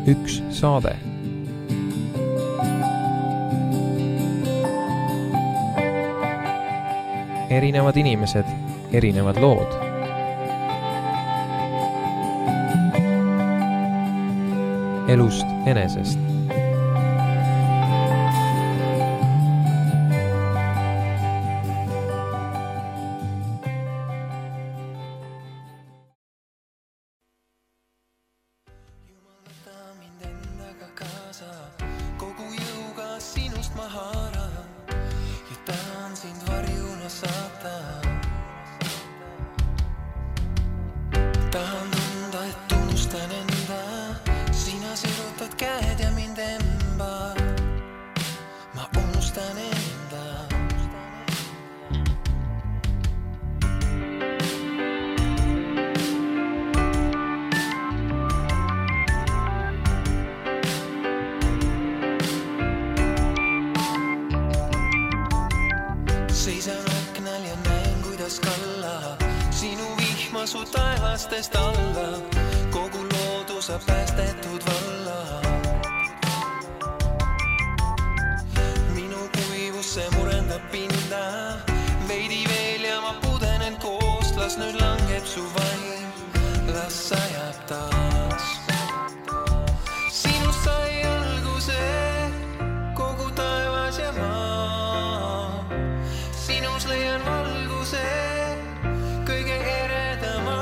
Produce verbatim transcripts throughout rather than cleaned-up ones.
üks saade. Erinevad inimesed, erinevad lood. Elust enesest. Seisan aknal ja näen, kuidas kalla sinu vihma su taevastest alla. Kogu loodusa päästetud valla. Minu kuivus see murendab pinda. Veidi veel ja ma pudenen koost. Las nüüd langeb su vaim. Las sajab taas. Sinust sai alguse kogu taevas ja maa. Sinus leian valguse kõige eredama.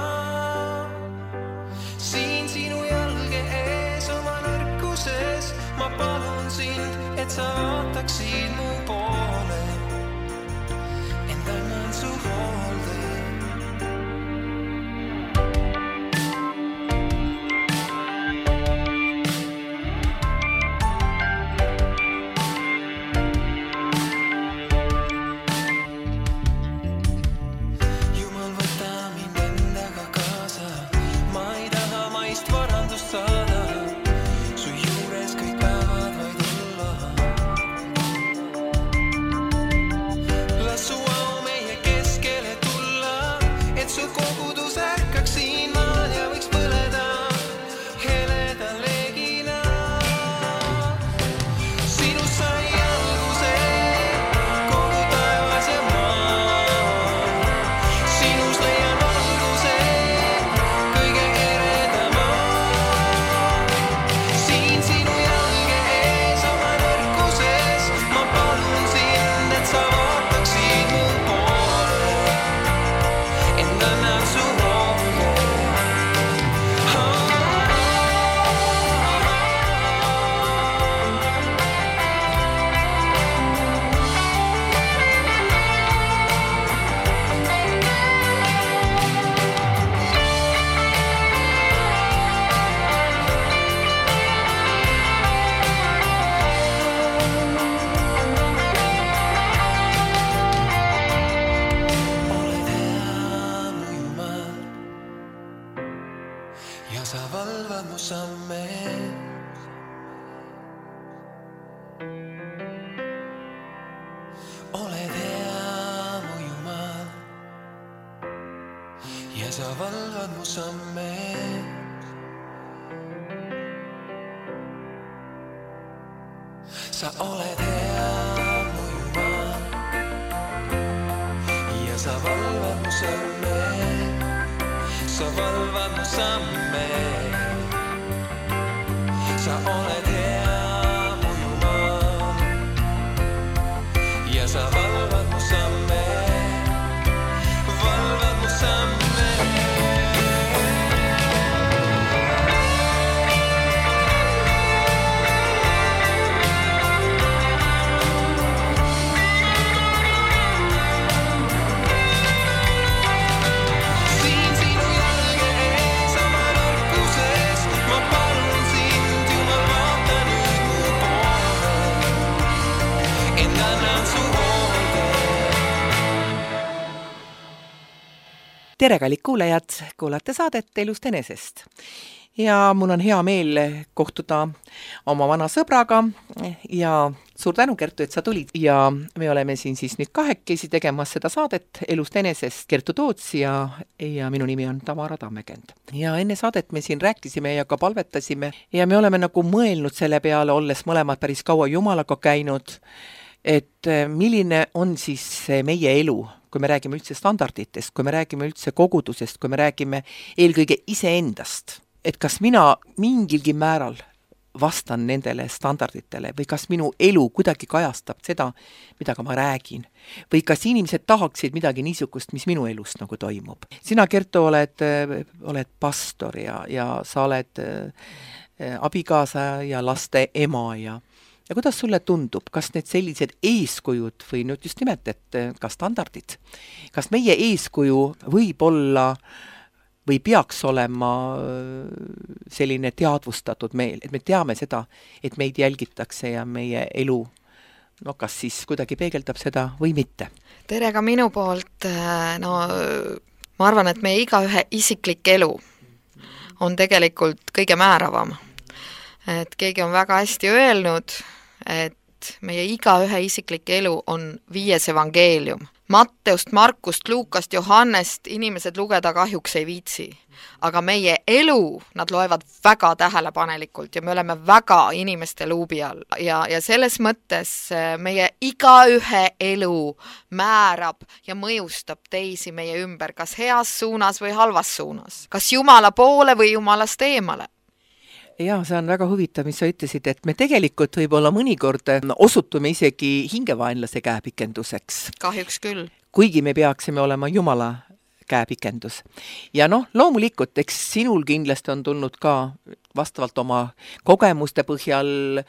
Siin sinu jalge ees oma nõrkuses. Ma palun sind, et sa vaataksid mu poole. Ent annan su hoolde. Ja sa valvad mu samme. Oled hea mu Jumal. Ja sa valvad mu samme. Sa oled hea mu Jumal. Ja sa valvad mu samme. Sa valvad mu samme. Sa oled hea mu Jumal. Ja sa valvad mu samme. Valvad mu samme. Tere, kallid kuulajad, kuulate saadet Elust enesest. ja mul on hea meel kohtuda oma vana sõbraga ja suur tänu, Kertu, et sa tulid. Ja me oleme siin siis nüüd kahekesi tegemas seda saadet Elust enesest, Kertu Toots ja, ja minu nimi on Tamara Tammekend. Ja enne saadet me siin rääkisime ja ka palvetasime ja me oleme nagu mõelnud selle peale, olles mõlemad päris kaua Jumalaga käinud, et milline on siis meie elu, kui me räägime üldse standarditest, kui me räägime üldse kogudusest, kui me räägime eelkõige iseendast. Et kas mina mingilgi määral vastan nendele standarditele või kas minu elu kuidagi kajastab seda, mida ka ma räägin. Või kas inimesed tahaksid midagi niisugust, mis minu elust nagu toimub. Sina, Kertu, oled, oled pastor ja, ja sa oled äh, abikaasa ja laste ema ja Ja kuidas sulle tundub, kas need sellised eeskujud või nüüd just nimelt, et ka standardid, kas meie eeskuju võib olla või peaks olema selline teadvustatud meil, et me teame seda, et meid jälgitakse ja meie elu, no kas siis kuidagi peegeldab seda või mitte? Tere ka minu poolt, no ma arvan, et meie igaühe isiklik elu on tegelikult kõige määravam. Et keegi on väga hästi öelnud, et meie igaühe isiklik elu on viies evangeelium. Matteust, Markust, Luukast, Johannest inimesed lugeda kahjuks ei viitsi. Aga meie elu nad loevad väga tähelepanelikult ja me oleme väga inimeste luubi all. Ja, ja selles mõttes meie igaühe elu määrab ja mõjustab teisi meie ümber, kas heas suunas või halvas suunas. Kas Jumala poole või Jumalast eemale. Jaa, see on väga huvitav, mis sa ütlesid, et me tegelikult võib-olla mõnikord osutume isegi hingevaenlase käepikenduseks. Kahjuks küll. Kuigi me peaksime olema Jumala käepikendus. Ja noh, loomulikult, eks sinul kindlasti on tulnud ka vastavalt oma kogemuste põhjal,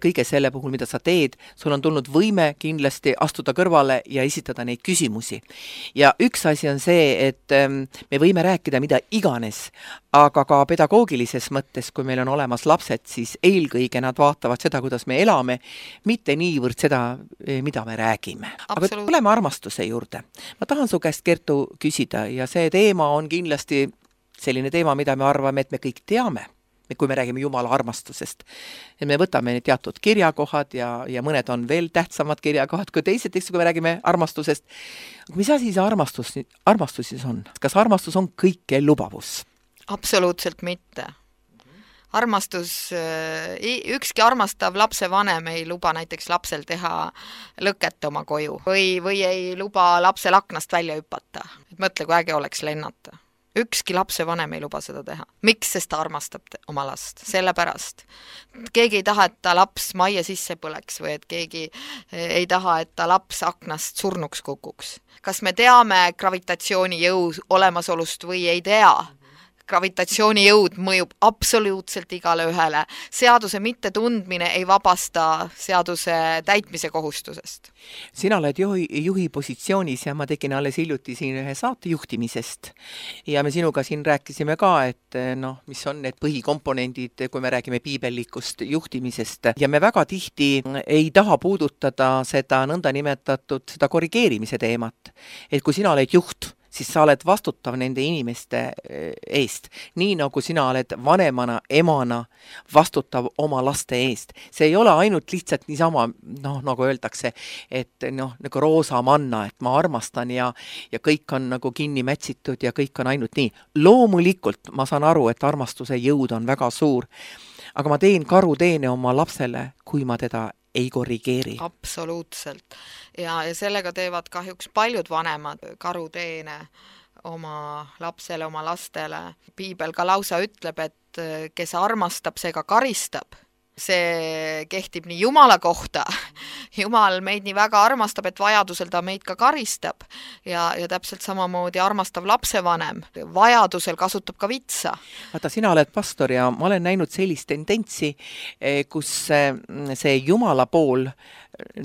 kõige selle puhul, mida sa teed, sul on tulnud võime kindlasti astuda kõrvale ja esitada neid küsimusi. Ja üks asi on see, et me võime rääkida mida iganes, aga ka pedagoogilises mõttes, kui meil on olemas lapsed, siis eelkõige nad vaatavad seda, kuidas me elame, mitte niivõrd seda, mida me räägime. Aga tuleme armastuse juurde. Ma tahan su käest, Kertu, küsida ja see teema on kindlasti selline teema, mida me arvame, et me kõik teame, kui me räägime Jumala armastusest. Ja me võtame teatud kirjakohad ja, ja mõned on veel tähtsamad kirjakohad kui teised, kui me räägime armastusest. Mis asi see armastus, armastus siis on? Kas armastus on kõike lubavus? Absoluutselt mitte. Armastus, ükski armastav lapse vanem ei luba näiteks lapsel teha lõket oma koju või, või ei luba lapsel aknast välja hüpata. Et mõtle, kui äge oleks lennata. Ükski lapse vanem ei luba seda teha. Miks, sest ta armastab oma last? Sellepärast. Keegi ei taha, et ta laps majja sisse põleks või et keegi ei taha, et ta laps aknast surnuks kukuks. Kas me teame gravitatsiooni jõu olemasolust või ei tea? Gravitatsiooni jõud mõjub absoluutselt igale ühele. Seaduse mittetundmine ei vabasta seaduse täitmise kohustusest. Sina oled juhi, juhi positsioonis ja ma tegin alles hiljuti siin ühe saate juhtimisest. Ja me sinuga siin rääkisime ka, et noh, mis on need põhikomponendid, kui me räägime piibellikust juhtimisest. Ja me väga tihti ei taha puudutada seda nõnda nimetatud seda korrigeerimise teemat. Et kui sina oled juht, siis sa oled vastutav nende inimeste eest. Nii nagu sina oled vanemana, emana vastutav oma laste eest. See ei ole ainult lihtsalt niisama, noh, nagu öeldakse, et noh, nagu roosa manna, et ma armastan ja, ja kõik on nagu kinni mätsitud ja kõik on ainult nii. Loomulikult ma saan aru, et armastuse jõud on väga suur, aga ma teen karuteene oma lapsele, kui ma teda ei korrigeeri. Absoluutselt. Ja, ja sellega teevad kahjuks paljud vanemad karuteene oma lapsele, oma lastele. Piibel ka lausa ütleb, et kes armastab, see ka karistab. See kehtib nii Jumala kohta. Jumal meid nii väga armastab, et vajadusel ta meid ka karistab. Ja, ja täpselt samamoodi armastav lapsevanem. Vajadusel kasutab ka vitsa. Vaata, sina oled pastor ja ma olen näinud sellist tendentsi, kus see Jumala pool,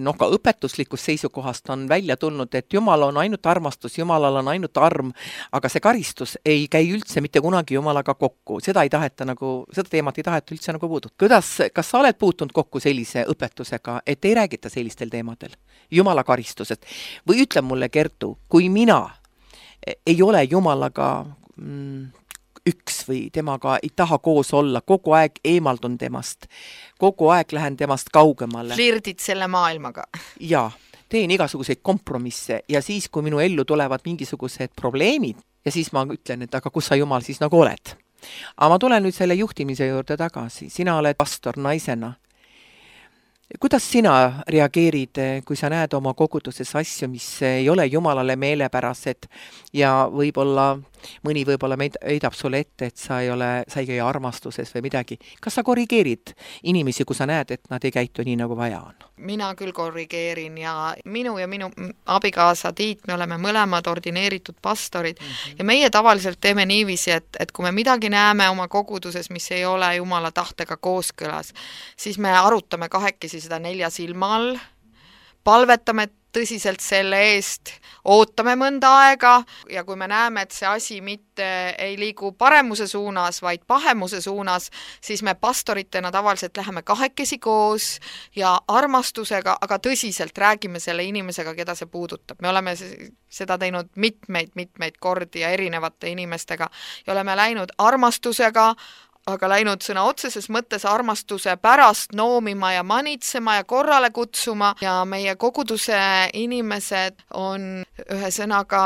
noh, ka õpetuslikust seisukohast on välja tulnud, et Jumal on ainult armastus, Jumalal on ainult arm, aga see karistus ei käi üldse mitte kunagi Jumalaga kokku. Seda ei taheta nagu, seda teemat ei taheta üldse nagu puudut. Kuidas, kas sa oled puutunud kokku sellise õpetusega, et ei räägita sellistel teemadel Jumala karistusest? Või ütle mulle, Kertu, kui mina ei ole Jumalaga mm, üks või temaga ei taha koos olla, kogu aeg eemaldun temast, kogu aeg lähen temast kaugemale. Flirdid selle maailmaga. Jaa, teen igasuguseid kompromisse ja siis, kui minu ellu tulevad mingisugused probleemid ja siis ma ütlen, et aga kus sa Jumal siis nagu oled. Aga ma tulen nüüd selle juhtimise juurde tagasi. Sina oled pastor naisena. Kuidas sina reageerid, kui sa näed oma koguduses asju, mis ei ole Jumalale meelepärased ja võib-olla, mõni võib-olla heidab sulle ette, et sa ei ole, sa ei käi armastuses või midagi. Kas sa korrigeerid inimesi, kui sa näed, et nad ei käitu nii, nagu vaja on? Mina küll korrigeerin ja minu ja minu abikaasa Tiit, me oleme mõlemad ordineeritud pastorid mm-hmm. ja meie tavaliselt teeme niiviisi, et, et kui me midagi näeme oma koguduses, mis ei ole Jumala tahtega kooskõlas, siis me arutame kahekesi seda nelja silma all, palvetame tõsiselt selle eest, ootame mõnda aega ja kui me näeme, et see asi mitte ei liigu paremuse suunas, vaid pahemuse suunas, siis me pastoritena tavaliselt läheme kahekesi koos ja armastusega, aga tõsiselt räägime selle inimesega, keda see puudutab. Me oleme seda teinud mitmeid, mitmeid kordi ja erinevate inimestega ja oleme läinud armastusega, aga läinud sõna otseses mõttes armastuse pärast noomima ja manitsema ja korrale kutsuma ja meie koguduse inimesed on ühe sõnaga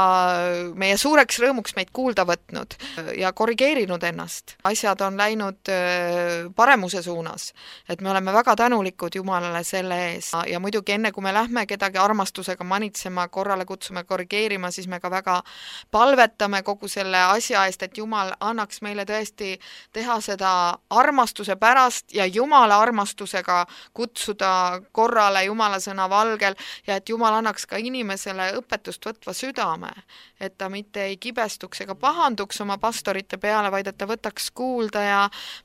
meie suureks rõõmuks meid kuulda võtnud ja korrigeerinud ennast. Asjad on läinud paremuse suunas, et me oleme väga tänulikud Jumalale selle ees ja muidugi enne, kui me lähme kedagi armastusega manitsema, korrale kutsume, korrigeerima, siis me ka väga palvetame kogu selle asja eest, et Jumal annaks meile tõesti teha seda armastuse pärast ja Jumala armastusega kutsuda korrale Jumala sõna valgel ja et Jumal annaks ka inimesele õpetust võtva südame, et ta mitte ei kibestuks ega pahanduks oma pastorite peale, vaid et ta võtaks kuulda ja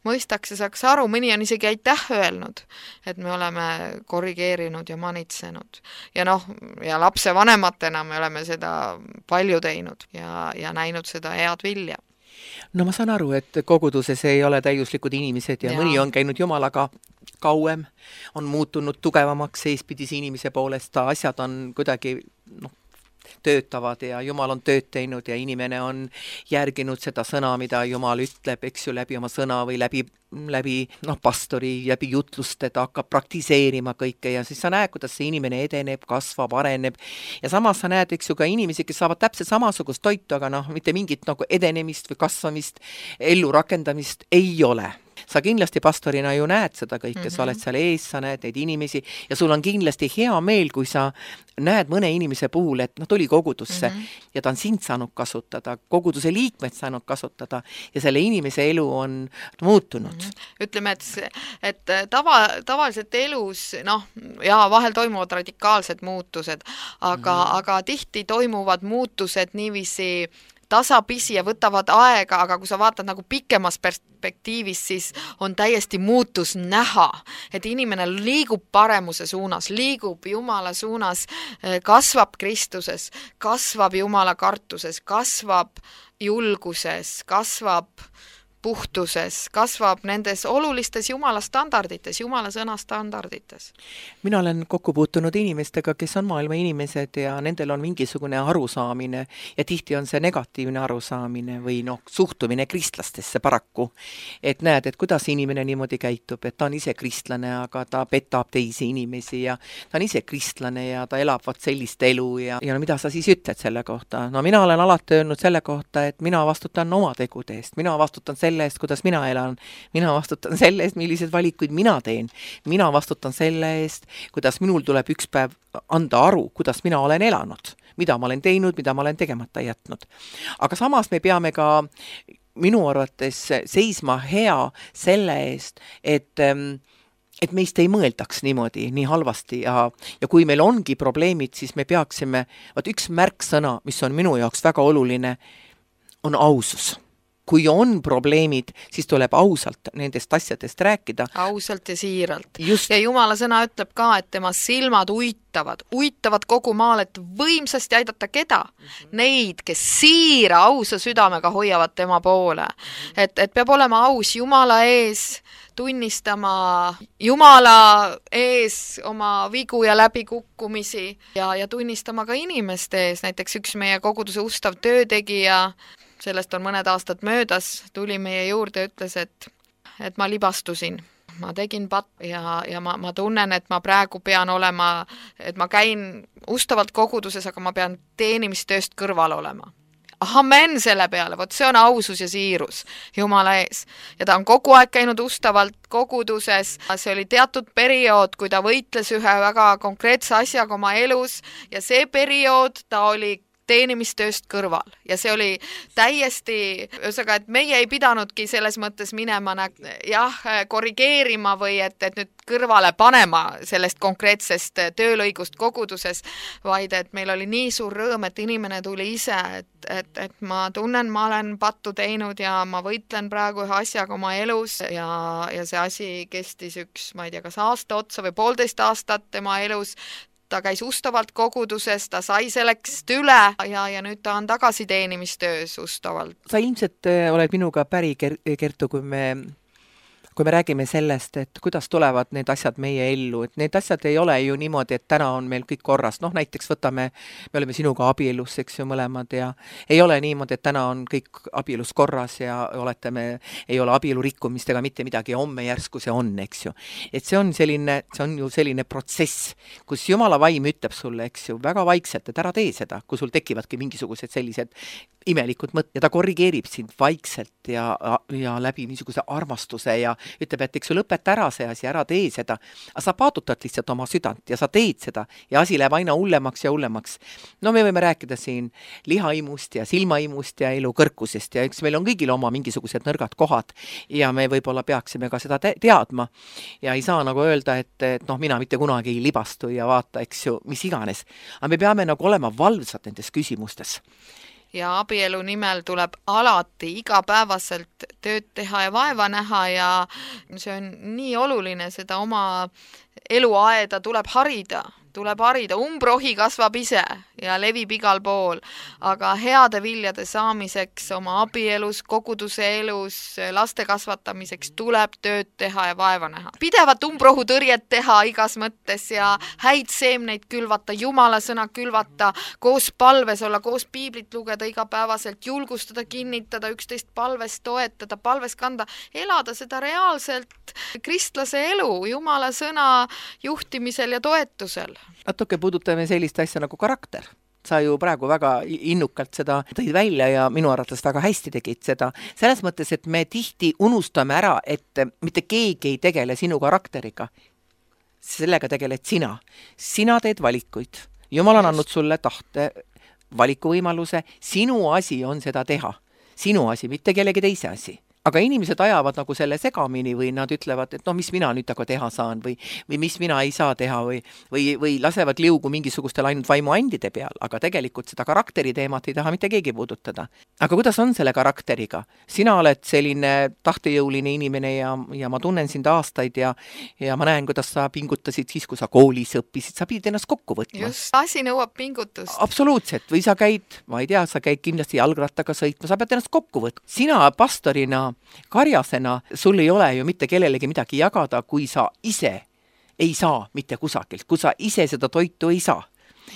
mõistaks ja saaks aru, mõni on isegi aitäh öelnud, et me oleme korrigeerinud ja manitsenud. Ja noh, ja lapse vanematena me oleme seda palju teinud ja, ja näinud seda head vilja. No ma saan aru, et koguduses ei ole täiuslikud inimesed ja, ja mõni on käinud Jumalaga kauem, on muutunud tugevamaks seespidise inimese poolest, ta asjad on kuidagi noh, töötavad ja Jumal on tööd teinud ja inimene on järginud seda sõna, mida Jumal ütleb, eks ju, läbi oma sõna või läbi, läbi noh, pastori, läbi jutluste, ta hakkab praktiseerima kõike ja siis sa näed, kuidas see inimene edeneb, kasvab, areneb ja samas sa näed, eks ju, ka inimesi, kes saavad täpselt samasugust toitu, aga noh, mitte mingit nagu edenemist või kasvamist, ellu rakendamist ei ole. Sa kindlasti pastorina ju näed seda kõike, mm-hmm. sa oled seal ees, sa näed neid inimesi ja sul on kindlasti hea meel, kui sa näed mõne inimese puhul, et noh, tuli kogudusse mm-hmm. ja ta on sind saanud kasutada, koguduse liikmed saanud kasutada ja selle inimese elu on muutunud. Mm-hmm. Ütleme, et, et tava, tavaliselt elus, noh, ja vahel toimuvad radikaalsed muutused, aga, mm-hmm. aga tihti toimuvad muutused niiviisi tasapisi ja võtavad aega, aga kui sa vaatad nagu pikemas perspektiivis, siis on täiesti muutus näha, et inimene liigub paremuse suunas, liigub Jumala suunas, kasvab Kristuses, kasvab Jumala kartuses, kasvab julguses, kasvab puhtuses, kasvab nendes olulistes Jumala standardites, Jumala sõna standardites. Mina olen kokku puutunud inimestega, kes on maailma inimesed ja nendel on mingisugune arusaamine ja tihti on see negatiivne arusaamine või noh, suhtumine kristlastesse paraku. Et näed, et kuidas inimene niimoodi käitub, et ta on ise kristlane, aga ta petab teisi inimesi ja ta on ise kristlane ja ta elab vat sellist elu ja, ja no, mida sa siis ütled selle kohta? No mina olen alati öelnud selle kohta, et mina vastutan oma tegude eest, mina vastutan selle selle eest, kuidas mina elan, mina vastutan selle eest, millised valikuid mina teen, mina vastutan selle eest, kuidas minul tuleb üks päev anda aru, kuidas mina olen elanud, mida ma olen teinud, mida ma olen tegemata jätnud. Aga samas me peame ka minu arvates seisma hea selle eest, et et meist ei mõeldaks niimoodi, nii halvasti ja, ja kui meil ongi probleemid, siis me peaksime, vaat üks märksõna, mis on minu jaoks väga oluline, on ausus. Kui on probleemid, siis tuleb ausalt nendest asjadest rääkida. Ausalt ja siiralt. Just. Ja Jumala sõna ütleb ka, et tema silmad uitavad, uitavad kogu maal, et võimsasti aidata keda? Mm-hmm. Neid, kes siira ausa südamega hoiavad tema poole. Mm-hmm. Et, et peab olema aus Jumala ees, tunnistama Jumala ees oma vigu ja läbikukkumisi ja, ja tunnistama ka inimeste ees. Näiteks üks meie koguduse ustav töötegija sellest on mõned aastad möödas, tuli meie juurde ja ütles, et, et ma libastusin. Ma tegin pat- ja, ja ma, ma tunnen, et ma praegu pean olema, et ma käin ustavalt koguduses, aga ma pean teenimistööst kõrval olema. Amen selle peale, vot see on ausus ja siirus Jumala ees. Ja ta on kogu aeg käinud ustavalt koguduses. See oli teatud periood, kui ta võitles ühe väga konkreetse asjaga oma elus ja see periood ta oli teenimistööst kõrval. Ja see oli täiesti, ühesõnaga, et meie ei pidanudki selles mõttes minema jah, korrigeerima või et, et nüüd kõrvale panema sellest konkreetsest töölõigust koguduses, vaid et meil oli nii suur rõõm, et inimene tuli ise, et, et, et ma tunnen, ma olen pattu teinud ja ma võitlen praegu ühe asjaga oma elus ja, ja see asi kestis üks, ma ei tea, kas aasta otsa või poolteist aastat tema elus. Ta käis ustavalt koguduses, ta sai selleks üle ja, ja nüüd ta on tagasi teenimistöös ustavalt. Sa ilmselt oled minuga päri, Kertu, kui me, kui me räägime sellest, et kuidas tulevad need asjad meie ellu, et need asjad ei ole ju niimoodi, et täna on meil kõik korras. Noh, näiteks võtame, me oleme sinuga abielus, eks ju, mõlemad ja ei ole niimoodi, et täna on kõik abielus korras ja oletame, ei ole abielu rikkumist ega mitte midagi ja homme järsku see on, eks ju. Et see on selline, see on ju selline protsess, kus Jumala vaim ütleb sulle, eks ju, väga vaikselt, et ära tee seda, kui sul tekivadki mingisugused sellised imelikud mõtted ja ta korrigeerib sind vaikselt ja, ja läbi niisuguse armastuse ja ütleb, et eks ju lõpeta ära see asi, ära tee seda, aga sa paadutad lihtsalt oma südant ja sa teed seda ja asi läheb aina hullemaks ja hullemaks. No me võime rääkida siin lihaimust ja silmaimust ja elu kõrkusest ja eks meil on kõigil oma mingisugused nõrgad kohad ja me võib-olla peaksime ka seda te- teadma ja ei saa nagu öelda, et, et noh, mina mitte kunagi ei libastu ja vaata, eks ju, mis iganes. Aga me peame nagu olema valvsad nendes küsimustes. Ja abielu nimel tuleb alati igapäevaselt tööd teha ja vaeva näha ja see on nii oluline, seda oma eluaeda tuleb harida, tuleb harida, umbrohi kasvab ise ja levib igal pool, aga heade viljade saamiseks oma abielus, koguduse elus, laste kasvatamiseks tuleb tööd teha ja vaeva näha. Pidevat umbrohu tõrjet teha igas mõttes ja häid seemneid külvata, Jumala sõna külvata, koos palves olla, koos piiblit lugeda igapäevaselt, julgustada, kinnitada, üksteist palves toetada, palves kanda, elada seda reaalselt kristlase elu, Jumala sõna juhtimisel ja toetusel. Natuke puudutame sellist asja nagu karakter. Sa ju praegu väga innukalt seda tõid välja ja minu arvates väga hästi tegid seda. Selles mõttes, et me tihti unustame ära, et mitte keegi ei tegele sinu karakteriga. Sellega tegeled sina. Sina teed valikuid. Jumal on andnud sulle tahte, valikuvõimaluse. Sinu asi on seda teha. Sinu asi, mitte kellegi teise asi. Aga inimesed ajavad nagu selle segamini või nad ütlevad, et no mis mina nüüd aga teha saan või, või mis mina ei saa teha või, või, või lasevad liugu mingisugustel ainult vaimuandide peal, aga tegelikult seda karakteri teemat ei taha mitte keegi puudutada. Aga kuidas on selle karakteriga? Sina oled selline tahtejõuline inimene ja, ja ma tunnen sind aastaid ja, ja ma näen, kuidas sa pingutasid siis, kui sa koolis õppisid, sa pidid ennast kokku võtma. Just, asi nõuab pingutust. Absoluutselt, või sa käid, ma ei tea, sa käid kindlasti jalgrattaga sõitma, sa pead ennast kokku võtma. Sina pastorina karjasena, sul ei ole ju mitte kellelegi midagi jagada, kui sa ise ei saa mitte kusagilt, kui sa ise seda toitu ei saa.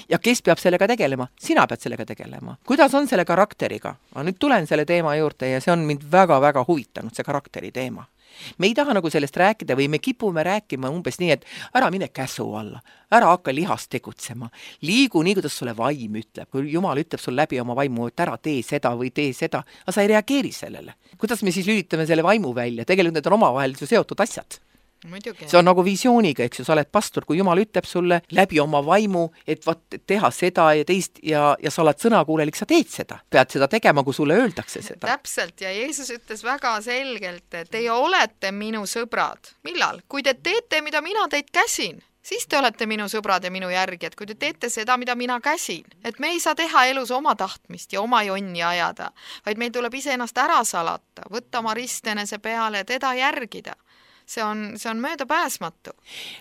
Ja kes peab sellega tegelema? Sina pead sellega tegelema. Kuidas on selle karakteriga? Ma nüüd tulen selle teema juurde ja see on mind väga-väga huvitanud, see karakteri teema. Me ei taha nagu sellest rääkida või me kipume rääkima umbes nii, et ära mine käsu alla, ära hakka lihast tegutsema, liigu nii, kuidas sulle vaim ütleb, kui Jumal ütleb sul läbi oma vaimu, et ära tee seda või tee seda, aga sa ei reageeri sellele. Kuidas me siis lülitame selle vaimu välja? Tegelikult need on omavahel seotud asjad. Muidugi. See on nagu visiooniga, eks ju, sa oled pastor, kui Jumal ütleb sulle läbi oma vaimu, et vaat teha seda ja teist ja, ja sa oled sõnakuulelik, sa teed seda. Pead seda tegema, kui sulle öeldakse seda. Täpselt, ja Jeesus ütles väga selgelt, et teie olete minu sõbrad. Millal? Kui te teete, mida mina teid käsin, siis te olete minu sõbrad ja minu järgijad, kui te teete seda, mida mina käsin. Et me ei saa teha elus oma tahtmist ja oma jonni ajada, vaid meil tuleb ise ennast ära salata, võtta oma ristenese peale ja teda järgida. See on, see on mööda pääsmatu.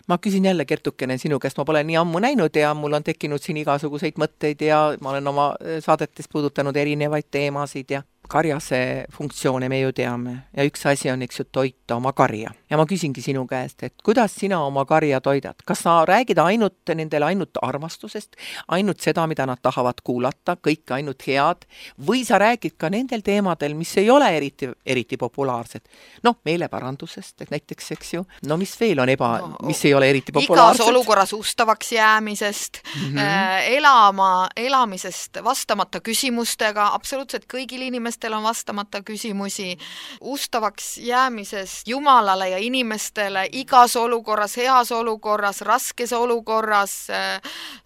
Ma küsin jälle, Kertukene, sinu käest, ma pole nii ammu näinud ja mul on tekkinud siin igasuguseid mõtteid ja ma olen oma saadetes puudutanud erinevaid teemasid ja karjase funktsioone me ju teame ja üks asi on, eks ju, toita oma karja. ja ma küsingi sinu käest, et kuidas sina oma karja toidad? Kas sa räägid ainult nendele ainult armastusest, ainult seda, mida nad tahavad kuulata, kõik ainult head, või sa räägid ka nendel teemadel, mis ei ole eriti, eriti populaarsed? Noh, meeleparandusest, et näiteks, eks ju, no mis veel on eba, no, mis ei ole eriti populaarsed? Igas olukorras ustavaks jäämisest, mm -hmm. elama, elamisest vastamata küsimustega, absoluutselt kõigil inimestel on vastamata küsimusi, ustavaks jäämisest Jumalale ja inimestele igas olukorras, heas olukorras, raskes olukorras,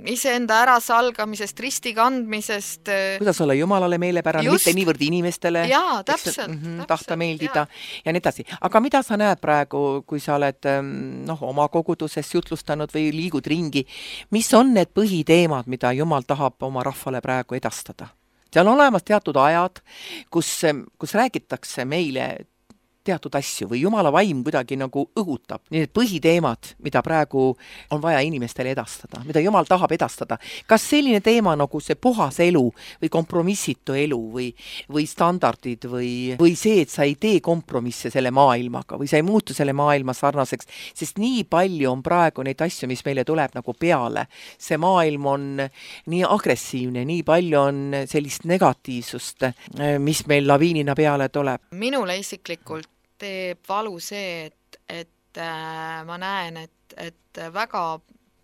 iseenda ärasalgamisest, risti kandmisest. Kuidas olla Jumalale meelepärane, mitte niivõrd inimestele. Jaa, täpselt. Mm -hmm, täpselt tahta meeldida ja. ja nii edasi. Aga mida sa näed praegu, kui sa oled noh, oma koguduses jutlustanud või liigud ringi, mis on need põhiteemad, mida Jumal tahab oma rahvale praegu edastada? Seal on olemas teatud ajad, kus, kus räägitakse meile teatud asju või Jumala vaim kuidagi nagu õhutab. Need põhiteemad, mida praegu on vaja inimestele edastada, mida Jumal tahab edastada. Kas selline teema nagu see puhas elu või kompromissitu elu või, või standardid või, või see, et sa ei tee kompromisse selle maailmaga või sa ei muutu selle maailma sarnaseks, sest nii palju on praegu neid asju, mis meile tuleb nagu peale. See maailm on nii agressiivne, nii palju on sellist negatiivsust, mis meil laviinina peale tuleb. Minule isiklikult teeb valu see, et, et äh, ma näen, et, et väga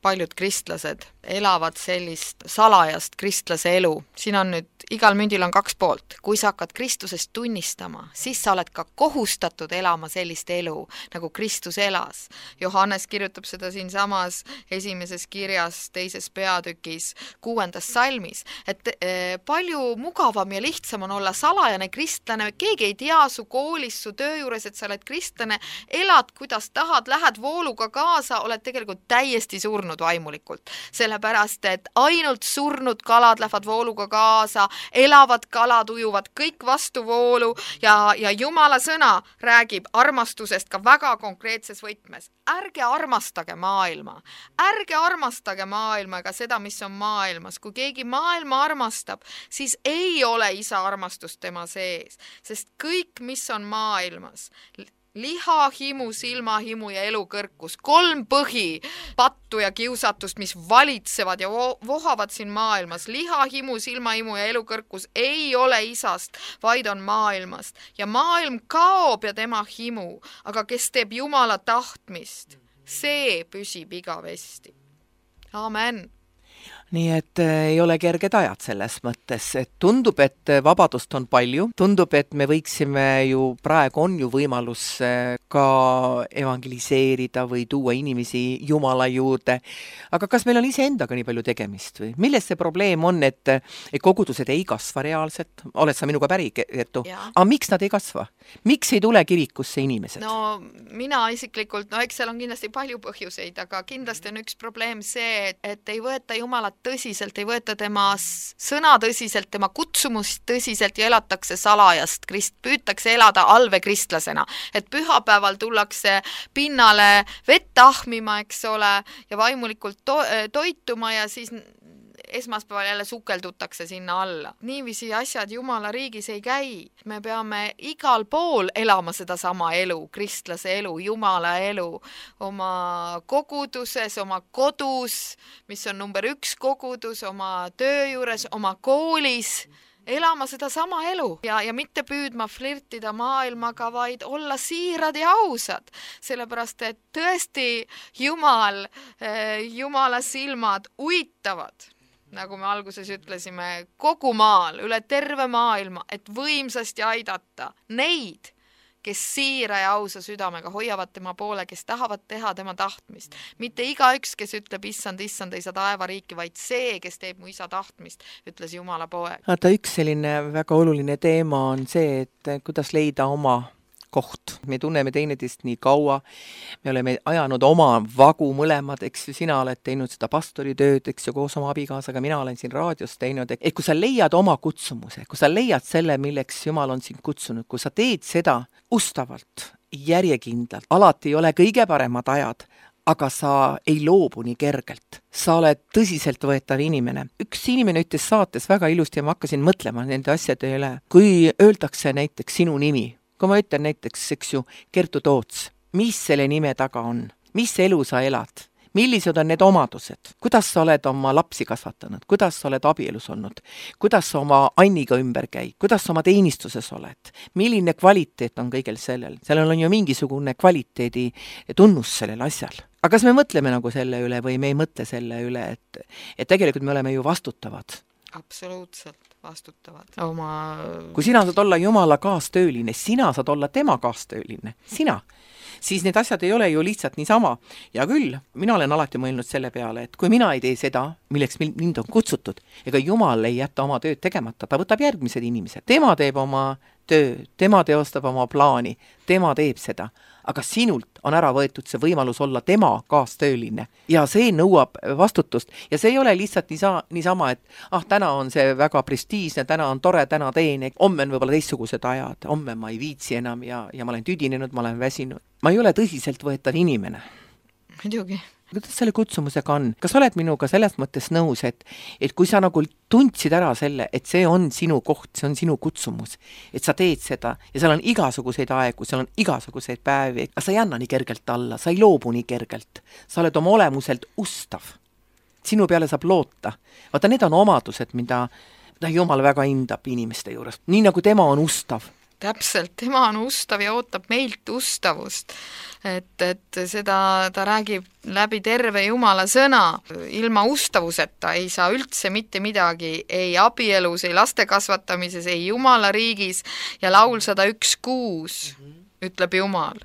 paljud kristlased elavad sellist salajast kristlase elu. Siin on nüüd, igal mündil on kaks poolt. Kui sa hakkad Kristusest tunnistama, siis sa oled ka kohustatud elama sellist elu, nagu Kristus elas. Johannes kirjutab seda siin samas esimeses kirjas, teises peatükis, kuuendas salmis, et e, palju mugavam ja lihtsam on olla salajane kristlane, keegi ei tea su koolis, su töö juures, et sa oled kristlane, elad kuidas tahad, lähed vooluga kaasa, oled tegelikult täiesti surnud vaimulikult. Sellepärast, et ainult surnud kalad lähevad vooluga kaasa, elavad kalad ujuvad kõik vastu voolu ja, ja Jumala sõna räägib armastusest ka väga konkreetses võtmes. Ärge armastage maailma. Ärge armastage maailma ega seda, mis on maailmas. Kui keegi maailma armastab, siis ei ole isa armastust tema sees, sest kõik, mis on maailmas, liha, himu, silmahimu ja elukõrkus. Kolm põhi pattu ja kiusatust, mis valitsevad ja vohavad siin maailmas. Liha, himu, silmahimu ja elukõrkus ei ole isast, vaid on maailmast. Ja maailm kaob ja tema himu, aga kes teeb Jumala tahtmist, see püsib igavesti. Amen. Nii et ei ole kerged ajad selles mõttes, et tundub, et vabadust on palju, tundub, et me võiksime ju, praegu on ju võimalus ka evangeliseerida või tuua inimesi Jumala juurde, aga kas meil on iseendaga nii palju tegemist või? Milles see probleem on, et, et kogudused ei kasva reaalselt? Oled sa minuga päri, Kertu? Aga miks nad ei kasva? Miks ei tule kirikusse inimesed? No mina isiklikult, no eks seal on kindlasti palju põhjuseid, aga kindlasti on üks probleem see, et, et ei võeta Jumalat tõsiselt, ei võeta tema sõna tõsiselt, tema kutsumust tõsiselt ja elatakse salajast krist, püütakse elada alvekristlasena, et pühapäeval tullakse pinnale vett ahmima, eks ole, ja vaimulikult to- toituma ja siis esmaspäeval jälle sukeldutakse sinna alla. Niiviisi asjad Jumala riigis ei käi. Me peame igal pool elama seda sama elu, kristlase elu, Jumala elu, oma koguduses, oma kodus, mis on number üks kogudus, oma töö juures, oma koolis, elama seda sama elu ja, ja mitte püüdma flirtida maailmaga, vaid olla siirad ja ausad. Sellepärast, et tõesti Jumal, Jumala silmad uitavad, nagu me alguses ütlesime, kogu maal, üle terve maailma, et võimsasti aidata neid, kes siira ja ausa südamega hoiavad tema poole, kes tahavad teha tema tahtmist. Mitte igaüks, kes ütleb, issand, issand, ei saa taevariiki, vaid see, kes teeb mu isa tahtmist, ütles Jumala poeg. Vaata, üks selline väga oluline teema on see, et kuidas leida oma koht. Me tunneme teineteist nii kaua, me oleme ajanud oma vagu mõlemad, eks ju, sina oled teinud seda pastoritööd, eks ju, koos oma abikaasaga, mina olen siin raadios teinud, et kui sa leiad oma kutsumuse, kui sa leiad selle, milleks Jumal on sind kutsunud, kui sa teed seda ustavalt, järjekindlalt, alati ei ole kõige paremad ajad, aga sa ei loobu nii kergelt. Sa oled tõsiseltvõetav inimene. Üks inimene ütles saates väga ilusti ja ma hakkasin mõtlema nende asjade üle. Kui öeldakse näiteks sinu nimi, kui ma ütlen näiteks, eks ju, Kertu Toots, mis selle nime taga on, mis elu sa elad, millised on need omadused, kuidas sa oled oma lapsi kasvatanud, kuidas sa oled abielus olnud, kuidas sa oma Anniga ümber käid, kuidas sa oma teenistuses oled, milline kvaliteet on kõigel sellel. Sellel on ju mingisugune kvaliteedi tunnus sellel asjal. Aga kas me mõtleme nagu selle üle või me ei mõtle selle üle, et, et tegelikult me oleme ju vastutavad? Absoluutselt vastutavad oma... Kui sina saad olla Jumala kaastööline, sina saad olla tema kaastööline, sina, siis need asjad ei ole ju lihtsalt niisama. Ja küll, mina olen alati mõelnud selle peale, et kui mina ei tee seda, milleks mind on kutsutud, ega Jumal ei jäta oma tööd tegemata, ta võtab järgmised inimesed. Tema teeb oma töö, tema teostab oma plaani, tema teeb seda. Aga sinult on ära võetud see võimalus olla tema kaastööline. Ja see nõuab vastutust. Ja see ei ole lihtsalt niisa, niisama, et ah, täna on see väga prestiisne, täna on tore, täna teen, homme on võib-olla teistsugused ajad, homme ma ei viitsi enam ja, ja ma olen tüdinenud, ma olen väsinud. Ma ei ole tõsiselt võetav inimene. Muidugi. Kuidas selle kutsumusega on? Kas oled minuga selles mõttes nõus, et, et kui sa nagu tundsid ära selle, et see on sinu koht, see on sinu kutsumus, et sa teed seda ja seal on igasuguseid aegu, seal on igasuguseid päevi, aga sa ei anna nii kergelt alla, sa ei loobu nii kergelt. Sa oled oma olemuselt ustav. Sinu peale saab loota. Vaata, need on omadused, mida, mida Jumal väga hindab inimeste juures. Nii nagu tema on ustav. Täpselt, tema on ustav ja ootab meilt ustavust. Et, et seda ta räägib läbi terve Jumala sõna. Ilma ustavuseta ei saa üldse mitte midagi, ei abielus, ei laste kasvatamises, ei Jumala riigis. Ja laul sada üks kuus ütleb Jumal,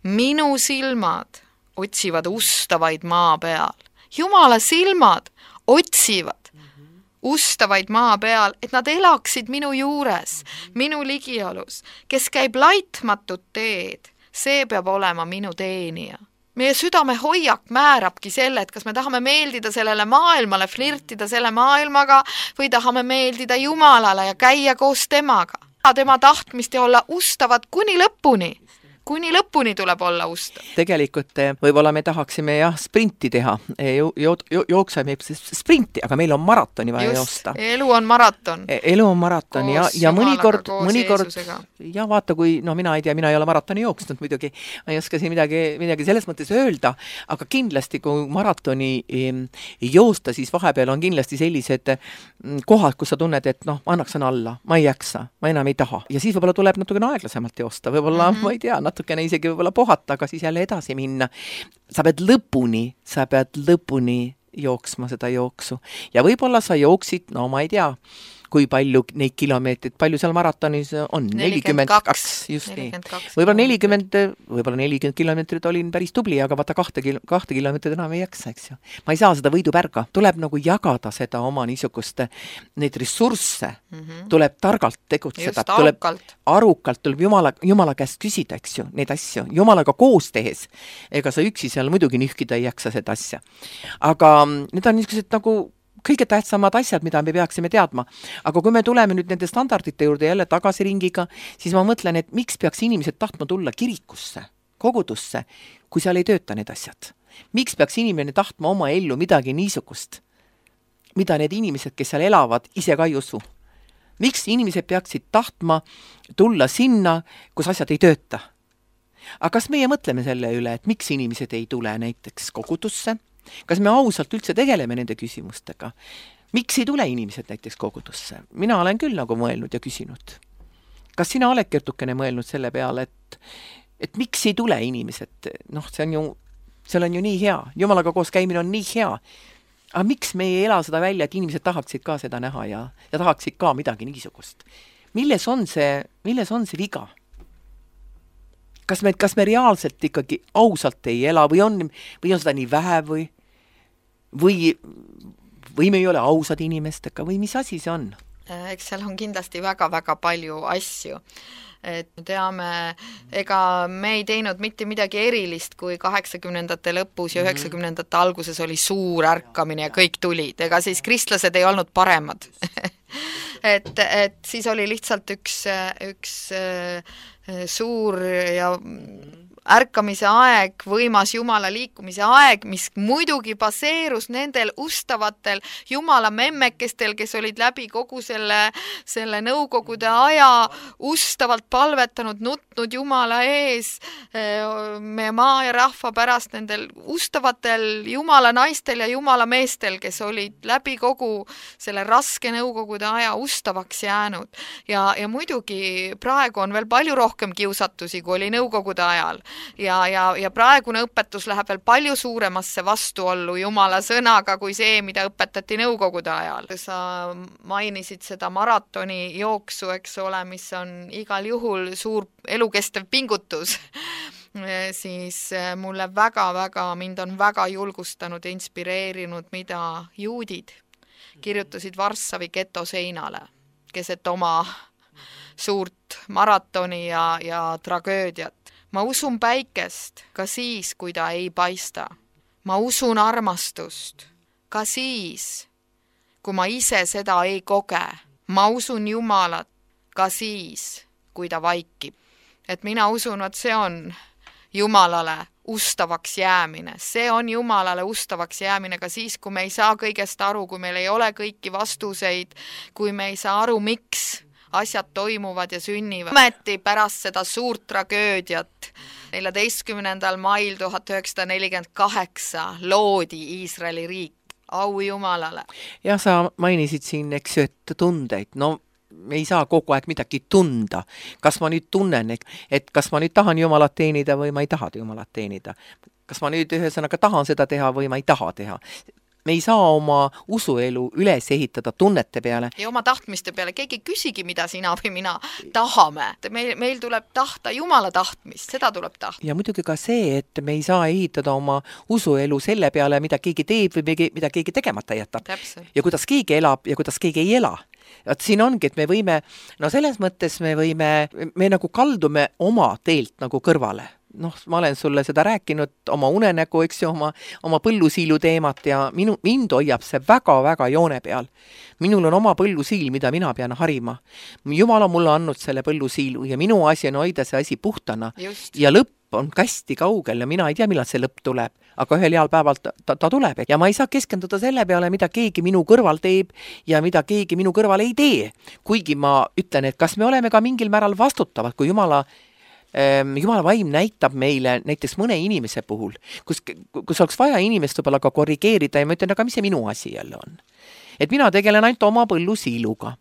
minu silmad otsivad ustavaid maa peal. Jumala silmad otsivad ustavaid maa peal, et nad elaksid minu juures, minu ligiolus. Kes käib laitmatut teed, see peab olema minu teenija. Meie südame hoiak määrabki selle, et kas me tahame meeldida sellele maailmale, flirtida selle maailmaga või tahame meeldida Jumalale ja käia koos temaga. Tema tahtmist ja olla ustavad kuni lõpuni. Kuni lõpuni tuleb olla ustav. Tegelikult võib-olla me tahaksime jah sprinti teha, jo, jo, jo, jookseme sprinti, aga meil on maratoni vaja joosta. Elu on maraton. Elu on maraton ja, ja mõnikord, mõnikord ja vaata, kui, no mina ei tea, mina ei ole maratoni jooksnud muidugi, ma ei oska siin midagi, midagi selles mõttes öelda, aga kindlasti kui maratoni joosta, siis vahepeal on kindlasti sellised kohad, kus sa tunned, et noh, annaksan alla, ma ei jaksa, ma enam ei taha. Ja siis võib-olla tuleb natukene aeglasemalt joosta, võib-olla, mm-hmm. ma ei tea, natukene isegi võib-olla pohata, aga siis jälle edasi minna. Sa pead lõpuni, sa pead lõpuni jooksma seda jooksu. Ja võib-olla sa jooksid, no ma ei tea, kui palju neid kilomeetrid, palju seal maratonis on? nelikümmend kaks, just nii. Võib-olla nelikümmend, võib-olla nelikümmend kilomeetrit olin päris tubli, aga vaata kahte, kahte kilomeetrit enam ei jaksa, eks ju. Ma ei saa seda võidupärga. Tuleb nagu jagada seda oma niisugust, neid ressursse, mm-hmm. tuleb targalt tegutseda, tuleb arukalt, tuleb Jumala, Jumala käest küsida, eks ju, neid asju. Jumalaga koos tehes. Ega sa üksi seal muidugi nühkida ei jaksa seda asja. Aga need on niisugused nagu kõige tähtsamad asjad, mida me peaksime teadma. Aga kui me tuleme nüüd nende standardite juurde jälle tagasi ringiga, siis ma mõtlen, et miks peaks inimesed tahtma tulla kirikusse, kogudusse, kui seal ei tööta need asjad? Miks peaks inimene tahtma oma ellu midagi niisugust, mida need inimesed, kes seal elavad, ise ka ei usu? Miks inimesed peaksid tahtma tulla sinna, kus asjad ei tööta? Aga kas meie mõtleme selle üle, et miks inimesed ei tule näiteks kogudusse? Kas me ausalt üldse tegeleme nende küsimustega? Miks ei tule inimesed näiteks kogudusse? Mina olen küll nagu mõelnud ja küsinud. Kas sina oled kertukene mõelnud selle peale, et, et miks ei tule inimesed? Noh, see on ju, see on ju nii hea. Jumalaga koos käimine on nii hea. Aga miks me ei ela seda välja, et inimesed tahaksid ka seda näha ja, ja tahaksid ka midagi niisugust? Milles on see, milles on see viga? Kas me, kas me reaalselt ikkagi ausalt ei ela või on, või on seda nii vähe või, või, või me ei ole ausad inimestega või mis asi see on? Eks seal on kindlasti väga-väga palju asju. Et me teame, ega me ei teinud mitte midagi erilist, kui kaheksakümnendate lõpus ja üheksakümnendate alguses oli suur ärkamine ja kõik tulid. Ega siis kristlased ei olnud paremad. et, et siis oli lihtsalt üks, üks suur ja ärkamise aeg, võimas Jumala liikumise aeg, mis muidugi baseerus nendel ustavatel Jumala memmekestel, kes olid läbi kogu selle, selle nõukogude aja ustavalt palvetanud, nutnud Jumala ees, meie maa ja rahva pärast, nendel ustavatel Jumala naistel ja Jumala meestel, kes olid läbi kogu selle raske nõukogude aja ustavaks jäänud. Ja, ja muidugi praegu on veel palju rohkem kiusatusi, kui oli nõukogude ajal. Ja, ja, ja praegune õpetus läheb veel palju suuremasse vastuollu Jumala sõnaga kui see, mida õpetati nõukogude ajal. Sa mainisid seda maratoni jooksu, eks ole, mis on igal juhul suur elukestev pingutus. Siis mulle väga-väga, mind on väga julgustanud ja inspireerinud, mida juudid kirjutasid Varssavi geto seinale, keset oma suurt maratoni ja, ja tragöödiat. Ma usun päikest ka siis, kui ta ei paista. Ma usun armastust ka siis, kui ma ise seda ei koge. Ma usun Jumalat ka siis, kui ta vaikib. Et mina usun, et see on Jumalale ustavaks jäämine. See on Jumalale ustavaks jäämine ka siis, kui me ei saa kõigest aru, kui meil ei ole kõiki vastuseid, kui me ei saa aru, miks asjad toimuvad ja sünnivad. Ometi pärast seda suurt tragöödiat neljateistkümnendal mail tuhat üheksasada nelikümmend kaheksa loodi Iisraeli riik. Au Jumalale. Ja sa mainisid siin, eks ju, et tundeid. No me ei saa kogu aeg midagi tunda. Kas ma nüüd tunnen, et kas ma nüüd tahan Jumalat teenida või ma ei taha Jumalat teenida. Kas ma nüüd ühesõnaga tahan seda teha või ma ei taha teha. Me ei saa oma usuelu üles ehitada tunnete peale. Ja oma tahtmiste peale. Keegi küsigi, mida sina või mina tahame. Meil, meil tuleb tahta Jumala tahtmist, seda tuleb tahta. Ja muidugi ka see, et me ei saa ehitada oma usuelu selle peale, mida keegi teeb või mida keegi tegemata jätab. Täpselt. Ja kuidas keegi elab ja kuidas keegi ei ela. Et siin ongi, et me võime, no selles mõttes me võime, me nagu kaldume oma teelt nagu kõrvale. Noh, ma olen sulle seda rääkinud oma unenägu, eks ju, oma, oma põllusiilu teemat ja minu, mind hoiab see väga-väga joone peal. Minul on oma põllusiil, mida mina pean harima. Jumal on mulle andnud selle põllusiilu ja minu asi on hoida see asi puhtana. Just. Ja lõpp on kästi kaugel ja mina ei tea, millal see lõpp tuleb, aga ühel heal päeval ta, ta, ta tuleb. Ja ma ei saa keskenduda selle peale, mida keegi minu kõrval teeb ja mida keegi minu kõrval ei tee. Kuigi ma ütlen, et kas me oleme ka mingil määral vastutavad, kui Jumala Jumala vaim näitab meile näiteks mõne inimese puhul, kus, kus oleks vaja inimest võib-olla ka korrigeerida ja ma ütlen, aga mis see minu asi jälle on? Et mina tegelen ainult oma põllusiiluga.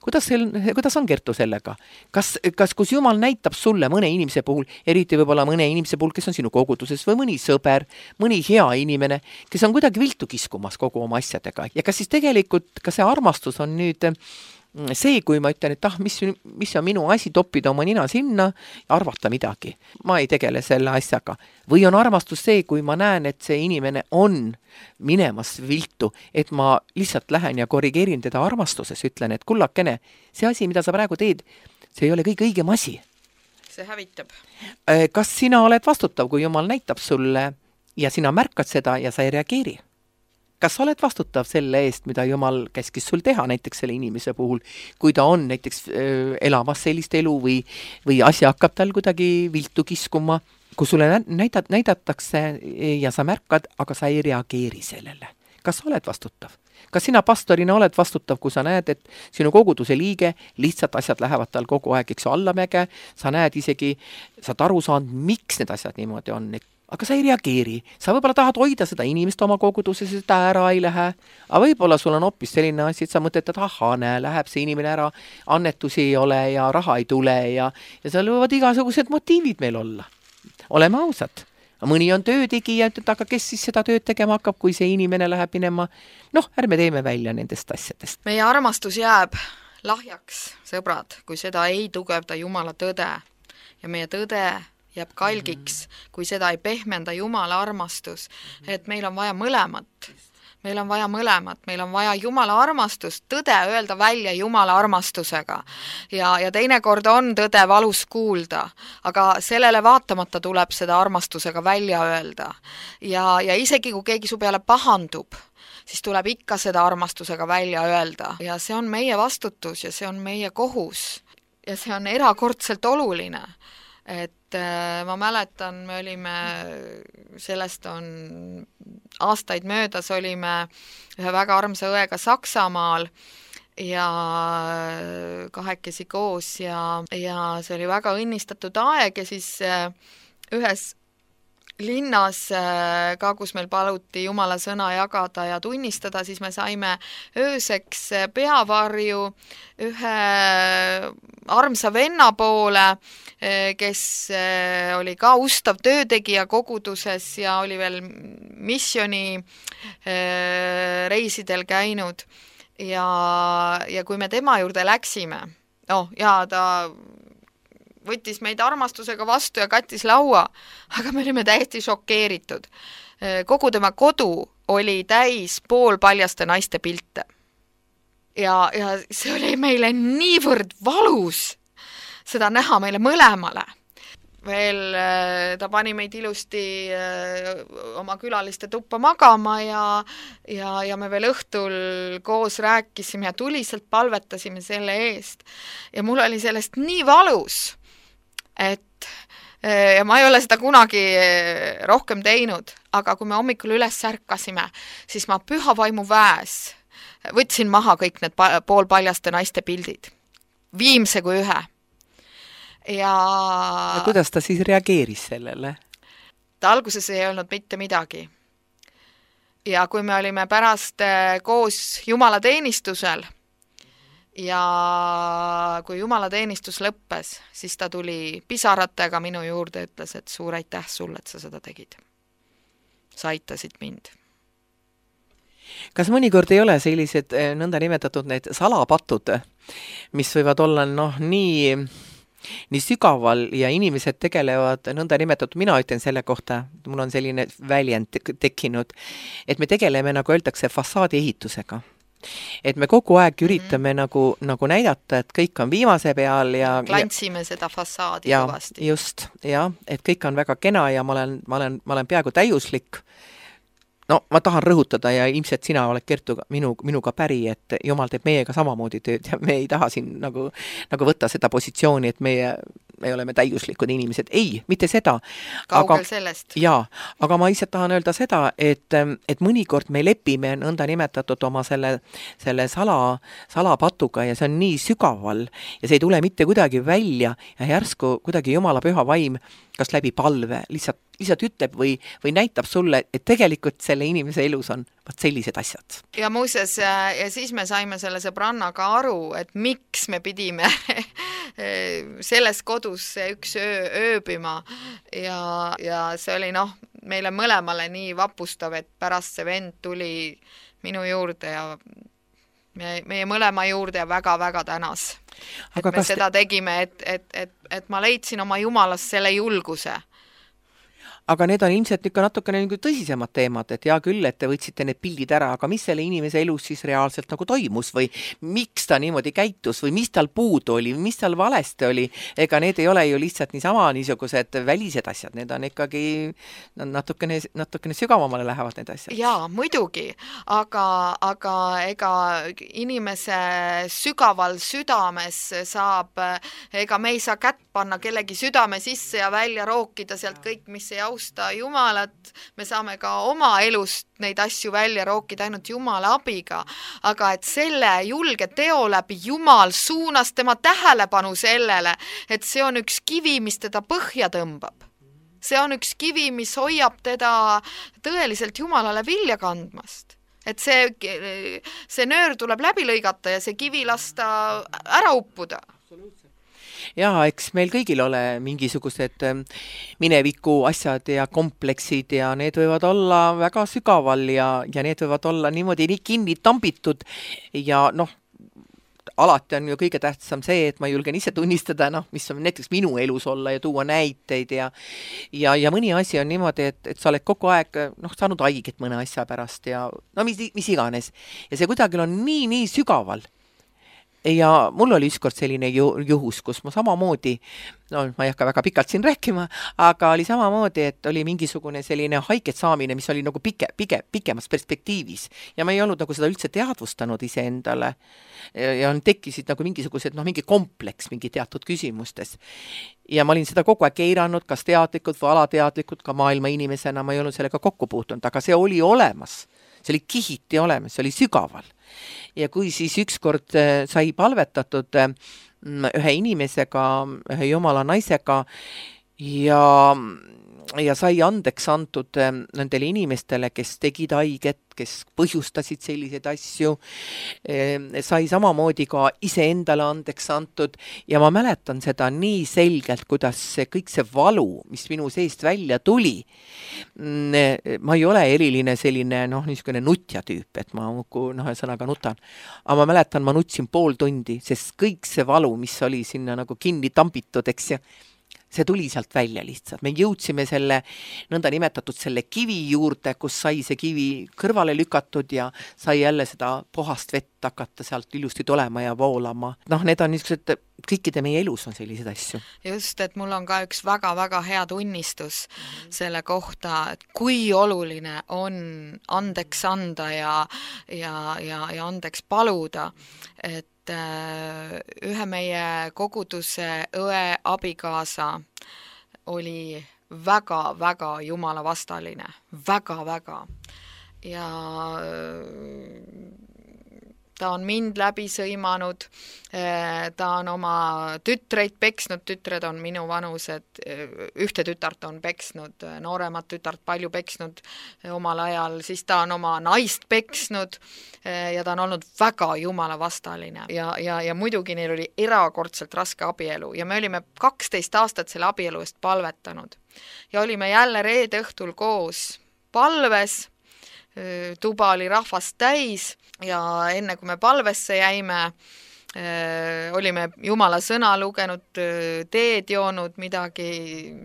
Kuidas, sel, kuidas on Kertu sellega? Kas, kas kus Jumal näitab sulle mõne inimese puhul, eriti võib-olla mõne inimese puhul, kes on sinu koguduses või mõni sõber, mõni hea inimene, kes on kuidagi viltu kiskumas kogu oma asjadega ja kas siis tegelikult ka see armastus on nüüd see, kui ma ütlen, et ah, mis, mis on minu asi toppida oma nina sinna ja arvata midagi. Ma ei tegele selle asjaga. Või on armastus see, kui ma näen, et see inimene on minemas viltu, et ma lihtsalt lähen ja korrigeerin teda armastuses, ütlen, et kullakene, see asi, mida sa praegu teed, see ei ole kõik õigem asi. See hävitab. Kas sina oled vastutav, kui Jumal näitab sulle ja sina märkad seda ja sa ei reageeri? Kas sa oled vastutav selle eest, mida Jumal käskis sul teha näiteks selle inimese puhul, kui ta on näiteks äh, elamas sellist elu või, või asja hakkab tal kuidagi viltu kiskuma, kui sulle näidat, näidatakse ja sa märkad, aga sa ei reageeri sellele. Kas sa oled vastutav? Kas sina pastorina oled vastutav, kui sa näed, et sinu koguduse liige, lihtsalt asjad lähevad tal kogu aeg, eks ju, allamäge, sa näed isegi, sa oled aru saanud, miks need asjad niimoodi on, aga sa ei reageeri. Sa võib-olla tahad hoida seda inimest oma koguduses, seda ära ei lähe. Aga võib-olla sul on hoopis selline asi, et sa mõtled, et aha, näe, läheb see inimene ära, annetusi ei ole ja raha ei tule ja, ja seal võivad igasugused motiivid meil olla. Oleme ausad. Mõni on töötegija, et aga kes siis seda tööd tegema hakkab, kui see inimene läheb minema. Noh, ärme teeme välja nendest asjadest. Meie armastus jääb lahjaks, sõbrad, kui seda ei tugevda Jumala tõde ja meie tõde jääb kalgiks, kui seda ei pehmenda Jumala armastus, et meil on vaja mõlemat. Meil on vaja mõlemat, meil on vaja Jumala armastust, tõde öelda välja Jumala armastusega. Ja, ja teinekord on tõde valus kuulda, aga sellele vaatamata tuleb seda armastusega välja öelda. Ja, ja isegi kui keegi su peale pahandub, siis tuleb ikka seda armastusega välja öelda. Ja see on meie vastutus ja see on meie kohus. Ja see on erakordselt oluline. et ma mäletan, me olime, sellest on aastaid möödas, olime ühe väga armsa õega Saksamaal ja kahekesi koos ja, ja see oli väga õnnistatud aeg ja siis ühes linnas ka, kus meil paluti Jumala sõna jagada ja tunnistada, siis me saime ööseks peavarju ühe armsa venna poole, kes oli ka ustav töötegija koguduses ja oli veel missiooni reisidel käinud. Ja, ja kui me tema juurde läksime, no, ja ta võttis meid armastusega vastu ja kattis laua, aga me olime täiesti šokeeritud. Kogu tema kodu oli täis poolpaljaste naiste pilte. Ja, ja see oli meile niivõrd valus seda näha meile mõlemale. Veel ta pani meid ilusti oma külaliste tuppa magama ja, ja, ja me veel õhtul koos rääkisime ja tuliselt palvetasime selle eest. Ja mul oli sellest nii valus, et ja ma ei ole seda kunagi rohkem teinud, aga kui me hommikul üles särkasime, siis ma püha vaimu väes võtsin maha kõik need poolpaljaste naiste pildid. Viimse kui ühe. Ja... ja kuidas ta siis reageeris sellele? Ta alguses ei olnud mitte midagi. Ja kui me olime pärast koos Jumala teenistusel ja kui Jumala teenistus lõppes, siis ta tuli pisaratega minu juurde ja ütles, et suur aitäh sulle, et sa seda tegid. Sa aitasid mind. Kas mõnikord ei ole sellised nõnda nimetatud need salapatud, mis võivad olla noh, nii... nii sügaval ja inimesed tegelevad nõnda nimetatud, mina ütlen selle kohta, mul on selline väljend tekkinud, et me tegeleme, nagu öeldakse, fassaadi ehitusega. Et me kogu aeg üritame mm-hmm. nagu, nagu näidata, et kõik on viimase peal ja... Klantsime seda fassaadi ja, kõvasti. Just, ja, et kõik on väga kena ja ma olen, ma olen, ma olen peaaegu täiuslik. No, ma tahan rõhutada ja ilmselt sina oled Kertu minu, minuga päri, et Jumal teeb meiega samamoodi tööd ja me ei taha siin nagu, nagu võtta seda positsiooni, et meie, me oleme täiuslikud inimesed. Ei, mitte seda. Kaugel aga, sellest. Jaa, aga ma lihtsalt tahan öelda seda, et, et mõnikord me lepime nõnda nimetatud oma selle, selle sala, salapatuga ja see on nii sügaval ja see ei tule mitte kuidagi välja ja järsku kuidagi Jumala püha vaim kas läbi palve, lihtsalt, lihtsalt ütleb või, või näitab sulle, et tegelikult selle inimese elus on vaat sellised asjad. Ja muuseas, ja siis me saime selle sõbrannaga aru, et miks me pidime selles kodus üks öö ööbima ja, ja see oli noh, meile mõlemale nii vapustav, et pärast see vend tuli minu juurde ja me, meie mõlema juurde ja väga-väga tänas. Et me seda tegime, et, et, et, et ma leidsin oma Jumalas selle julguse. Aga need on ilmselt ikka natukene nagu tõsisemad teemad, et hea küll, et te võtsite need pildid ära, aga mis selle inimese elus siis reaalselt nagu toimus või miks ta niimoodi käitus või mis tal puudu oli, mis tal valesti oli, ega need ei ole ju lihtsalt niisama niisugused välised asjad, need on ikkagi natukene, natukene sügavamale lähevad need asjad. Jaa, muidugi, aga, aga ega inimese sügaval südames saab, ega me ei saa kätt panna kellegi südame sisse ja välja rookida sealt kõik, mis ei austa Jumalat, me saame ka oma elust neid asju välja rookida ainult Jumala abiga, aga et selle julge teo läbi Jumal suunas tema tähelepanu sellele, et see on üks kivi, mis teda põhja tõmbab. See on üks kivi, mis hoiab teda tõeliselt Jumalale vilja kandmast. Et see, see nöör tuleb läbi lõigata ja see kivi lasta ära uppuda. Jaa, eks meil kõigil ole mingisugused mineviku asjad ja kompleksid ja need võivad olla väga sügaval ja, ja need võivad olla niimoodi nii kinni tambitud ja noh, alati on ju kõige tähtsam see, et ma julgen ise tunnistada, noh, mis on näiteks minu elus olla ja tuua näiteid ja, ja, ja mõni asi on niimoodi, et, et sa oled kogu aeg noh, saanud haiget mõne asja pärast ja no mis, mis iganes. Ja see kuidagi on nii, nii sügaval, ja mul oli ükskord selline ju, juhus, kus ma samamoodi, no ma ei hakka väga pikalt siin rääkima, aga oli samamoodi, et oli mingisugune selline haiget saamine, mis oli nagu pike, pike, pikemas perspektiivis ja ma ei olnud nagu seda üldse teadvustanud iseendale ja, ja tekkisid nagu mingisugused, noh, mingi kompleks mingi teatud küsimustes. Ja ma olin seda kogu aeg eiranud, kas teadlikult või alateadlikult, ka maailma inimesena ma ei olnud sellega kokku puutunud, aga see oli olemas. See oli kihiti olemas, see oli sügaval. Ja kui siis ükskord sai palvetatud ühe inimesega, ühe jumala naisega ja, ja sai andeks antud nendele inimestele, kes tegid haiget, kes põhjustasid selliseid asju, sai samamoodi ka iseendale andeks antud ja ma mäletan seda nii selgelt, kuidas see, kõik see valu, mis minu seest välja tuli, ma ei ole eriline selline, noh, niisugune nutja tüüp, et ma noh, sõnaga nutan, aga ma mäletan, ma nutsin pool tundi, sest kõik see valu, mis oli sinna nagu kinni tambitud, eks ju, see tuli sealt välja lihtsalt. Me jõudsime selle nõnda nimetatud selle kivi juurde, kus sai see kivi kõrvale lükatud ja sai jälle seda puhast vett hakata sealt ilusti tulema ja voolama. Noh, need on niisugused, kõikide meie elus on sellised asju. Just, et mul on ka üks väga-väga hea tunnistus mm-hmm. selle kohta, et kui oluline on andeks anda ja, ja, ja, ja andeks paluda, et ühe meie koguduse õe abikaasa oli väga-väga jumala vastaline, väga-väga ja ta on mind läbi sõimanud, ta on oma tütreid peksnud, tütred on minu vanused, ühte tütart on peksnud, nooremat tütart palju peksnud omal ajal, siis ta on oma naist peksnud ja ta on olnud väga jumala vastaline ja, ja, ja muidugi neil oli erakordselt raske abielu ja me olime kaksteist aastat selle abielu eest palvetanud ja olime jälle reede õhtul koos palves, tuba oli rahvast täis ja enne kui me palvesse jäime, olime jumala sõna lugenud, teed joonud, midagi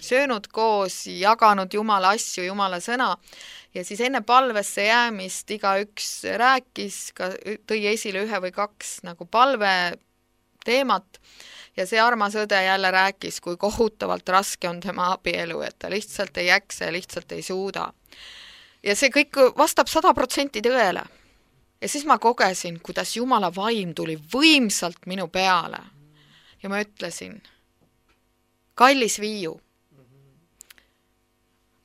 söönud koos, jaganud jumala asju, jumala sõna ja siis enne palvesse jäämist igaüks rääkis, ka tõi esile ühe või kaks nagu palve teemat ja see armas õde jälle rääkis, kui kohutavalt raske on tema abielu, et ta lihtsalt ei jaksa ja lihtsalt ei suuda. Ja see kõik vastab sada protsenti tõele. Ja siis ma kogesin, kuidas Jumala vaim tuli võimsalt minu peale. Ja ma ütlesin, kallis Viiu,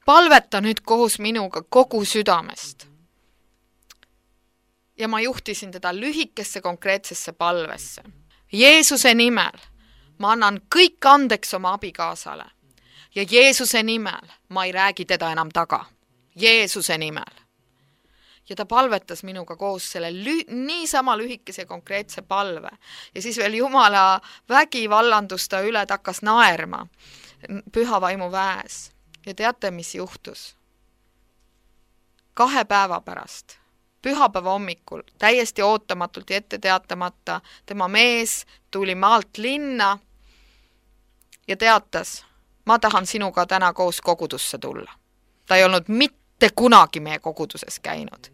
palveta nüüd koos minuga kogu südamest. Ja ma juhtisin teda lühikesse konkreetsesse palvesse. Jeesuse nimel ma annan kõik andeks oma abikaasale. Ja Jeesuse nimel ma ei räägi teda enam taga. Jeesuse nimel. Ja ta palvetas minuga koos selle lü- niisama lühikese konkreetse palve. Ja siis veel Jumala vägi vallandus ta üle, ta hakkas naerma püha vaimu väes. Ja teate, mis juhtus? Kahe päeva pärast, pühapäeva hommikul, täiesti ootamatult ja ette teatamata, tema mees tuli maalt linna ja teatas, ma tahan sinuga täna koos kogudusse tulla. Ta ei olnud mitte kunagi meie koguduses käinud.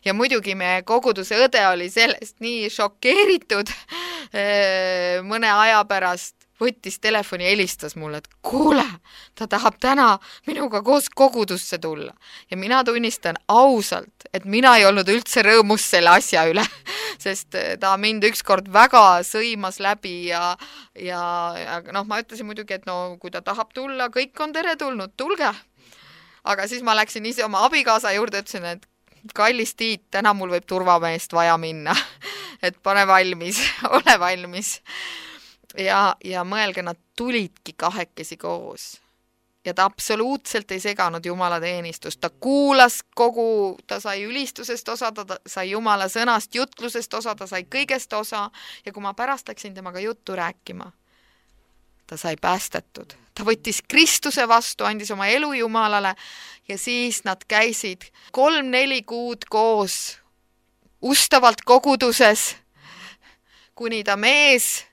Ja muidugi meie koguduse õde oli sellest nii šokeeritud mõne aja pärast, võttis telefoni ja helistas mulle, et kuule, ta tahab täna minuga koos kogudusse tulla. Ja mina tunnistan ausalt, et mina ei olnud üldse rõõmus selle asja üle, sest ta mind ükskord väga sõimas läbi ja, ja, ja noh, ma ütlesin muidugi, et no kui ta tahab tulla, kõik on teretulnud, tulge. Aga siis ma läksin ise oma abikaasa juurde, ütlesin, et kallis Tiit, täna mul võib turvameest vaja minna, et pane valmis, ole valmis. Ja, ja mõelge, nad tulidki kahekesi koos. Ja ta absoluutselt ei seganud Jumala teenistust. Ta kuulas kogu, ta sai ülistusest osa, ta sai Jumala sõnast, jutlusest osa, ta sai kõigest osa. Ja kui ma pärast läksin temaga juttu rääkima, ta sai päästetud. Ta võttis Kristuse vastu, andis oma elu Jumalale ja siis nad käisid kolm-neli kuud koos ustavalt koguduses, kuni ta mees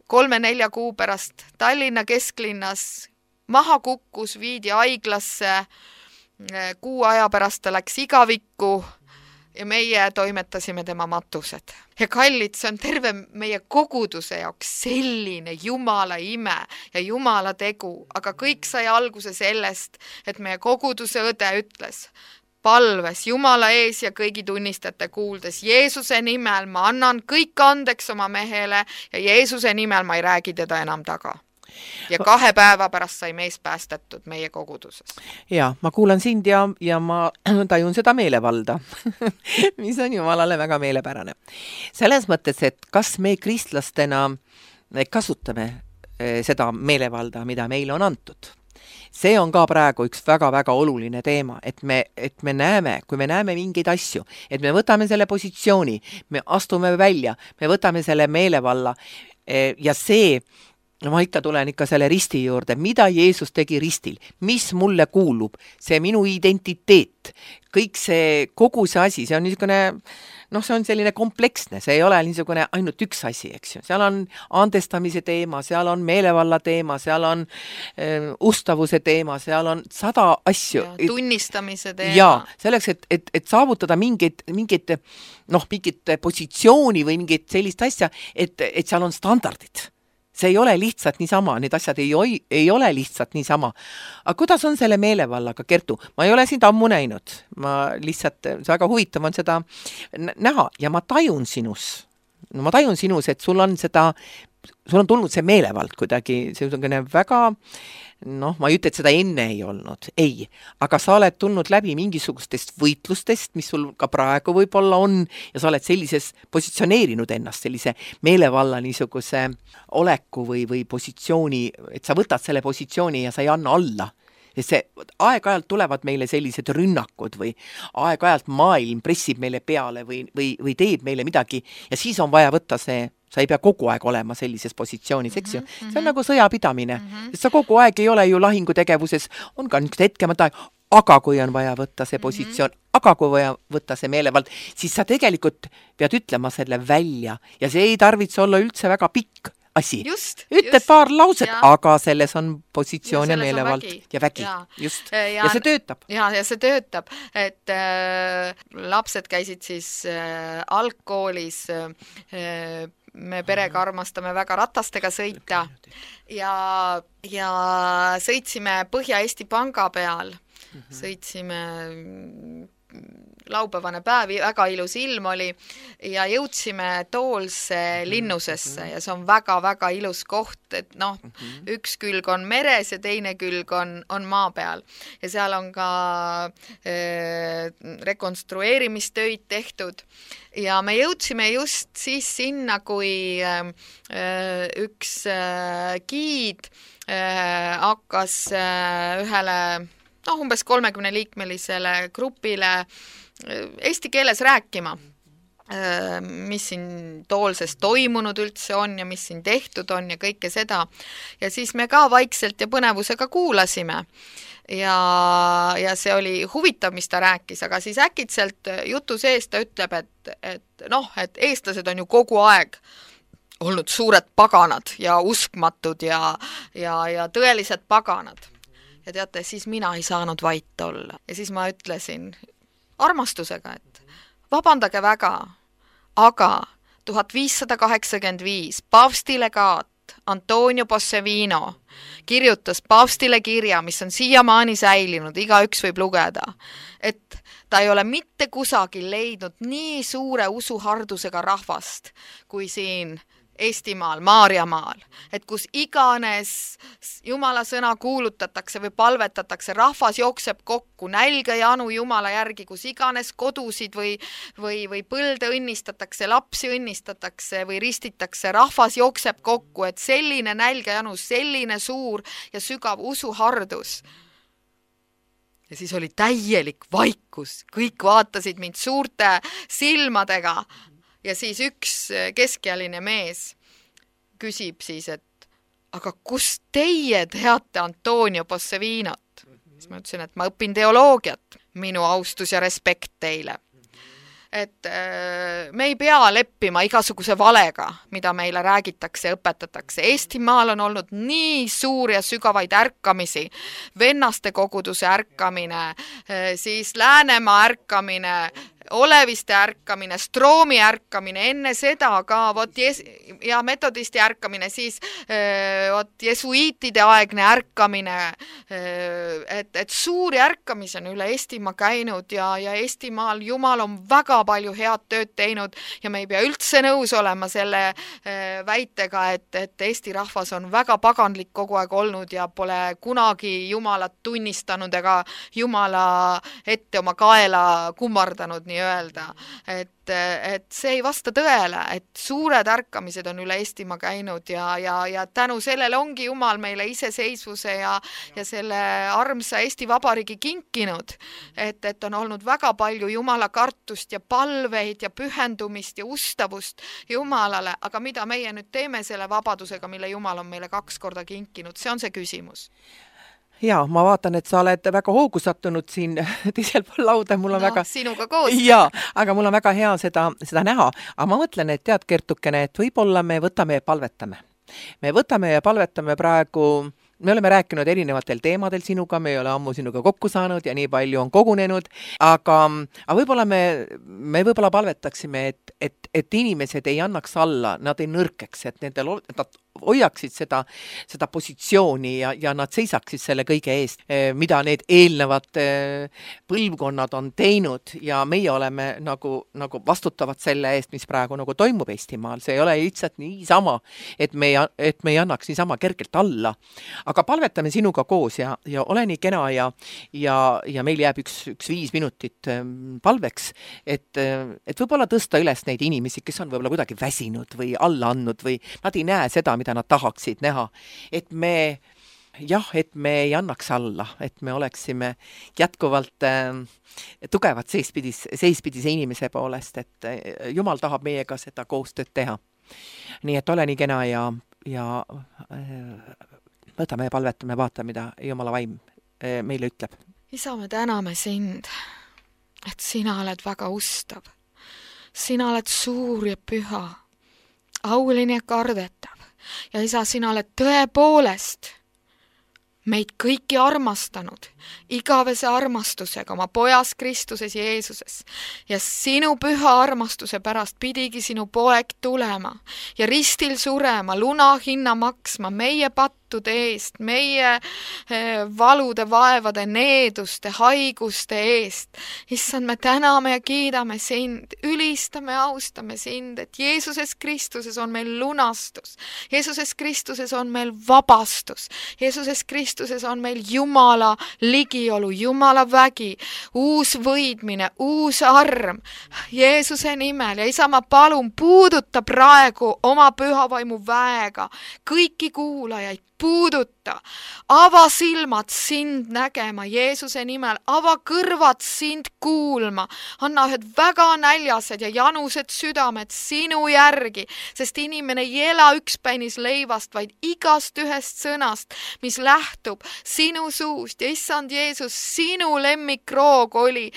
kolme-nelja kuu pärast Tallinna kesklinnas maha kukkus, viidi haiglasse, kuu aja pärast ta läks igavikku, ja meie toimetasime tema matused. Ja kallid, see on terve meie koguduse jaoks selline Jumala ime ja Jumala tegu, aga kõik sai alguse sellest, et meie koguduse õde ütles, palves Jumala ees ja kõigi tunnistajate kuuldes, Jeesuse nimel ma annan kõik andeks oma mehele ja Jeesuse nimel ma ei räägi teda enam taga. Ja kahe päeva pärast sai mees päästetud meie koguduses. Ja, ma kuulan sind ja, ja ma tajun seda meelevalda, mis on Jumalale väga meelepärane. Selles mõttes, et kas me kristlastena kasutame seda meelevalda, mida meile on antud. See on ka praegu üks väga-väga oluline teema, et me, et me näeme, kui me näeme mingeid asju, et me võtame selle positsiooni, me astume välja, me võtame selle meelevalla ja see no ma ikka tulen ikka selle risti juurde, mida Jeesus tegi ristil, mis mulle kuulub, see minu identiteet, kõik see, kogu see asi, see on niisugune, noh, see on selline kompleksne, see ei ole niisugune ainult üks asi, eks ju, seal on andestamise teema, seal on meelevalla teema, seal on äh, ustavuse teema, seal on sada asju. Ja, tunnistamise teema. Ja, selleks, et, et, et saavutada mingit, mingit, noh, mingit positsiooni või mingit sellist asja, et, et seal on standardid. See ei ole lihtsalt niisama, need asjad ei, ei ole lihtsalt niisama. Aga kuidas on selle meelevallaga, Kertu? Ma ei ole sind ammu näinud. Ma lihtsalt, see väga huvitav on seda näha ja ma tajun sinus. No ma tajun sinus, et sul on seda, sul on tulnud see meelevald kuidagi, see on väga, noh, ma ei ütle, et seda enne ei olnud, ei, aga sa oled tulnud läbi mingisugustest võitlustest, mis sul ka praegu võib-olla on ja sa oled sellises positsioneerinud ennast, sellise meelevalla niisuguse oleku või, või positsiooni, et sa võtad selle positsiooni ja sa ei anna alla. Ja see aeg-ajalt tulevad meile sellised rünnakud või aeg-ajalt maailm pressib meile peale või, või, või teeb meile midagi ja siis on vaja võtta see, sa ei pea kogu aeg olema sellises positsioonis, eks ju. Mm-hmm. See on nagu sõjapidamine, mm-hmm. sest sa kogu aeg ei ole ju lahingutegevuses, on ka niisugused hetkemad aeg, aga kui on vaja võtta see positsioon, mm-hmm. aga kui vaja võtta see meelevald, siis sa tegelikult pead ütlema selle välja ja see ei tarvitse olla üldse väga pikk asi. Just, ütled just, paar lauset, ja. Aga selles on positsioon ja, ja meelevald vägi. ja vägi. Ja. Just. Ja, ja see töötab. Ja, ja see töötab, et äh, lapsed käisid siis äh, algkoolis, äh, me perega armastame väga ratastega sõita ja, ja sõitsime Põhja-Eesti Panga peal, sõitsime laupäevane päev, väga ilus ilm oli ja jõudsime Toolse linnusesse ja see on väga-väga ilus koht, et noh, üks külg on meres ja teine külg on, on maa peal ja seal on ka äh, rekonstrueerimistöid tehtud ja me jõudsime just siis sinna, kui äh, üks äh, giid äh, hakkas äh, ühele noh, umbes kolmekümne liikmelisele grupile eesti keeles rääkima, mis siin Toolses toimunud üldse on ja mis siin tehtud on ja kõike seda. Ja siis me ka vaikselt ja põnevusega kuulasime. Ja, ja see oli huvitav, mis ta rääkis, aga siis äkitselt jutu sees ta ütleb, et, et noh, et eestlased on ju kogu aeg olnud suured paganad ja uskmatud ja, ja, ja tõelised paganad. Ja teate, siis mina ei saanud vait olla. Ja siis ma ütlesin armastusega, et vabandage väga, aga tuhat viissada kaheksakümmend viis paavstilegaat Antonio Bossevino kirjutas paavstile kirja, mis on siiamaani säilinud, iga üks võib lugeda, et ta ei ole mitte kusagil leidnud nii suure usuhardusega rahvast kui siin Eestimaal, Maarjamaal, et kus iganes Jumala sõna kuulutatakse või palvetatakse, rahvas jookseb kokku, nälga ja anu Jumala järgi, kus iganes kodusid või, või, või põlde õnnistatakse, lapsi õnnistatakse või ristitakse, rahvas jookseb kokku, et selline nälga ja anu, selline suur ja sügav usuhardus. Ja siis oli täielik vaikus, kõik vaatasid mind suurte silmadega. Ja siis üks keskealine mees küsib siis, et aga kus teie teate Antonio Bossevinot? Siis ma ütlesin, et ma õpin teoloogiat, minu austus ja respekt teile. Et me ei pea leppima igasuguse valega, mida meile räägitakse ja õpetatakse. Eestimaal on olnud nii suur ja sügavaid ärkamisi, vennaste koguduse ärkamine, siis Läänemaa ärkamine, oleviste ärkamine, Stroomi ärkamine, enne seda ka vot jes- ja metodisti ärkamine, siis öö, vot jesuiitide aegne ärkamine, öö, et, et suuri ärkamisi on üle Eestimaa käinud ja, ja Eestimaal Jumal on väga palju head tööd teinud ja me ei pea üldse nõus olema selle öö, väitega, et, et Eesti rahvas on väga paganlik kogu aeg olnud ja pole kunagi Jumalat tunnistanud ega Jumala ette oma kaela kummardanud nii-öelda. Et, et see ei vasta tõele, et suured ärkamised on üle Eestimaa käinud ja, ja, ja tänu sellele ongi Jumal meile iseseisvuse ja, ja selle armsa Eesti Vabariigi kinkinud. Et, et on olnud väga palju Jumala kartust ja palveid ja pühendumist ja ustavust Jumalale, aga mida meie nüüd teeme selle vabadusega, mille Jumal on meile kaks korda kinkinud, see on see küsimus. Jaa, ma vaatan, et sa oled väga hoogu sattunud siin teisel pool lauda, mul on no, väga... sinuga koos. Jaa, aga mul on väga hea seda, seda näha. Aga ma mõtlen, et tead, Kertukene, et võib-olla me võtame ja palvetame. Me võtame ja palvetame praegu... Me oleme rääkinud erinevatel teemadel sinuga, me ei ole ammu sinuga kokku saanud ja nii palju on kogunenud, aga, aga võib-olla me, me võib-olla palvetaksime, et, et, et inimesed ei annaks alla, nad ei nõrkeks, et nendel, nad hoiaksid seda, seda positsiooni ja, ja nad seisaksid selle kõige eest, mida need eelnevad põlvkonnad on teinud ja meie oleme nagu, nagu vastutavad selle eest, mis praegu nagu toimub Eestimaal. See ei ole lihtsalt niisama, et me ei, et me ei annaks niisama kergelt alla. Aga palvetame sinuga koos ja, ja ole nii kena ja, ja, ja meil jääb üks, üks viis minutit palveks, et, et võib-olla tõsta üles neid inimesi, kes on võib-olla kuidagi väsinud või alla andnud või nad ei näe seda, mida nad tahaksid näha. Et me, jah, et me ei annaks alla, et me oleksime jätkuvalt äh, tugevad seispidis, seispidise inimese poolest, et äh, Jumal tahab meiega seda koostööd teha. Nii et ole nii kena ja, ja äh, võtame ja palvetame, vaata, mida Jumala vaim äh, meile ütleb. Isa, me täname sind, et sina oled väga ustav. Sina oled suur ja püha, auline ja kardetav. Ja isa, sina oled tõepoolest meid kõiki armastanud, igavese armastusega oma pojas Kristuses Jeesuses. Ja sinu püha armastuse pärast pidigi sinu poeg tulema ja ristil surema, luna hinna maksma meie pattude eest, meie valude, vaevade, needuste, haiguste eest. Issand, me täname ja kiidame sind, ülistame, austame sind, et Jeesuses Kristuses on meil lunastus. Jeesuses Kristuses on meil vabastus. Jeesuses Kristuses on meil Jumala ligiolu, Jumala vägi, uus võidmine, uus arm Jeesuse nimel. Ja isa, ma palun, puuduta praegu oma pühavaimu väega kõiki kuulajaid, puuduta, ava silmad sind nägema Jeesuse nimel, ava kõrvad sind kuulma, anna ühed väga näljased ja janused südamed sinu järgi, sest inimene ei ela ükspäinis leivast, vaid igast ühest sõnast, mis lähtub sinu suust. Ja issand Jeesus, sinu lemmikroog oli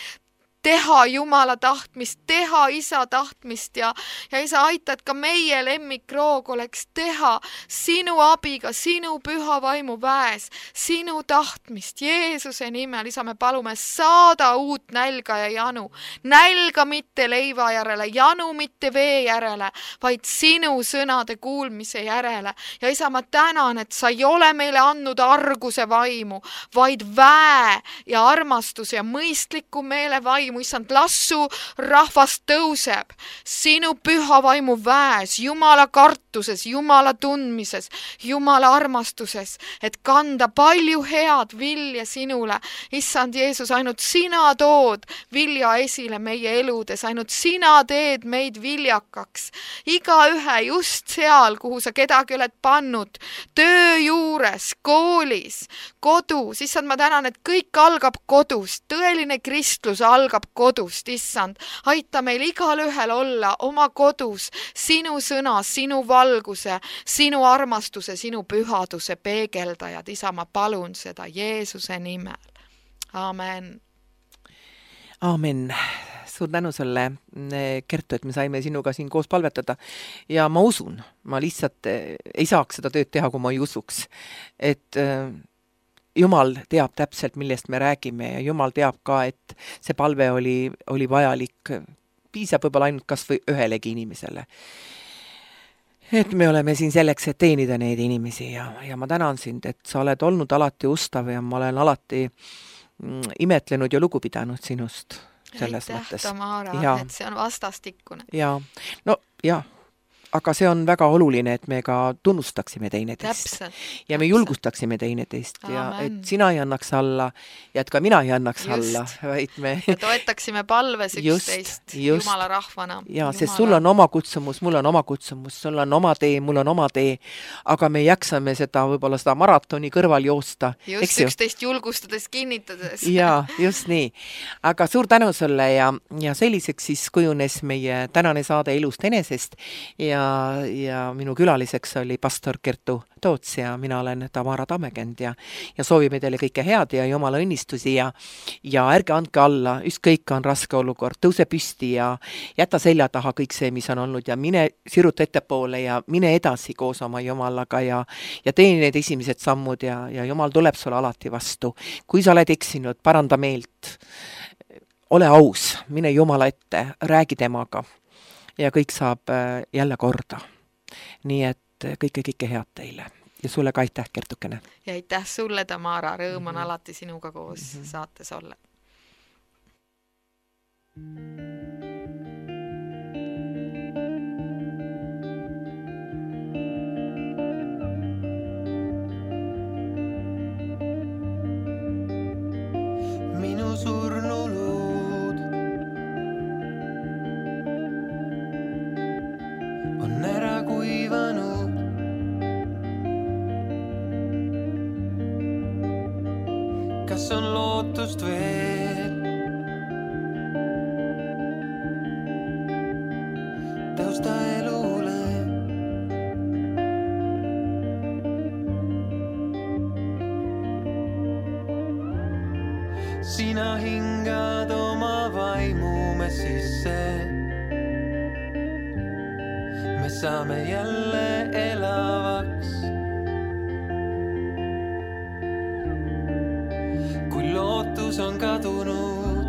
teha Jumala tahtmist, teha isa tahtmist ja, ja isa, aita, et ka meie lemmikroog oleks teha sinu abiga, sinu püha vaimu väes, sinu tahtmist Jeesuse nimel. Isa, me palume saada uut nälga ja janu. Nälga mitte leiva järele, janu mitte vee järele, vaid sinu sõnade kuulmise järele. Ja isa, ma tänan, et sa ei ole meile andnud arguse vaimu, vaid väe ja armastus ja mõistliku meele vaimu. Issand, lassu rahvas tõuseb sinu püha vaimu väes, Jumala kartuses, Jumala tundmises, Jumala armastuses, et kanda palju head vilja sinule. Issand Jeesus, ainult sina tood vilja esile meie eludes, ainult sina teed meid viljakaks. Iga ühe just seal, kuhu sa kedagi oled pannud, töö juures, koolis, kodus. Issand, ma tänan, et kõik algab kodust, tõeline kristlus algab kodust, issand. Aita meil igal ühel olla oma kodus sinu sõna, sinu valguse, sinu armastuse, sinu pühaduse peegeldajad. Isa, ma palun seda Jeesuse nimel. Amen. Amen. Suur tänu sulle, Kertu, et me saime sinuga siin koos palvetada. Ja ma usun, ma lihtsalt ei saaks seda tööd teha, kui ma ei usuks. Et Jumal teab täpselt, millest me räägime ja Jumal teab ka, et see palve oli, oli vajalik, piisab võib-olla ainult kas või ühelegi inimesele. Et me oleme siin selleks, et teenida neid inimesi ja, ja ma tänan sind, et sa oled olnud alati ustav ja ma olen alati mm, imetlenud ja lugu pidanud sinust selles Aitäh, mõttes. Tamara, ja. et see on vastastikkune. Ja, no jah. Aga see on väga oluline, et me ka tunnustaksime teineteist. Täpselt, ja me täpselt. julgustaksime teineteist ja Amen. et sina ei annaks alla ja et ka mina ei annaks Just. alla, vaid me ja toetaksime palves Just, üksteist just. Jumala rahvana. ja sest sul on oma kutsumus, mul on oma kutsumus, sul on oma tee, mul on oma tee, aga me jaksame seda võib-olla seda maratoni kõrval joosta. Just üksteist julgustades, kinnitades. ja, just nii. Aga suur tänu sulle ja, ja selliseks siis kujunes meie tänane saade Elust enesest ja ja minu külaliseks oli pastor Kertu Toots ja mina olen Tamara Tammekend ja, ja soovime teile kõike head ja Jumala õnnistusi ja, ja ärge andke alla, ükskõik on raske olukord, tõuse püsti ja jäta selja taha kõik see, mis on olnud ja mine siruta ettepoole ja mine edasi koos oma Jumalaga ja, ja tee need esimesed sammud ja, ja Jumal tuleb sulle alati vastu. Kui sa oled eksinud, paranda meelt, ole aus, mine Jumala ette, räägi temaga. Ja kõik saab jälle korda. Nii et kõike, kõike head teile. Ja sulle ka aitäh, Kertukene. Ja aitäh sulle, Tamara. Rõõm on mm-hmm. alati sinuga koos mm-hmm. saates olla. Minu surnuluud on ära kuivanud. Kas on lootust veel? Tõusta elule. Sina hingad oma vaimu me sisse. Me saame jälle elavaks. Kui lootus on kadunud,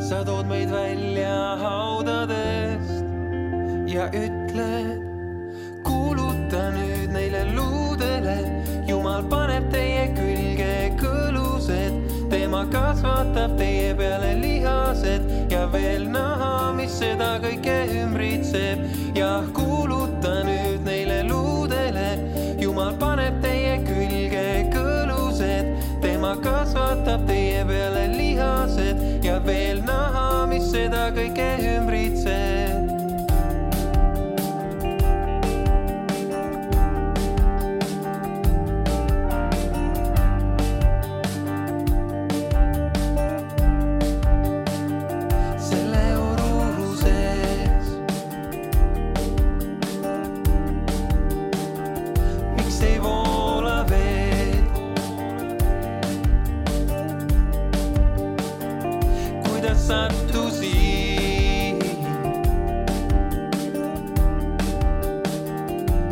sa tood meid välja haudadest ja ütled, kuuluta nüüd neile luudele. Jumal paneb teie külge kõlused, tema kasvatab teie peale lihased ja veel naha, mis seda kõike ümbritseb. Ja kuuluta nüüd neile luudele, Jumal paneb teie külge kõlused, tema kasvatab teie peale lihased ja veel naha, mis seda kõike ümbritseb. Sattusin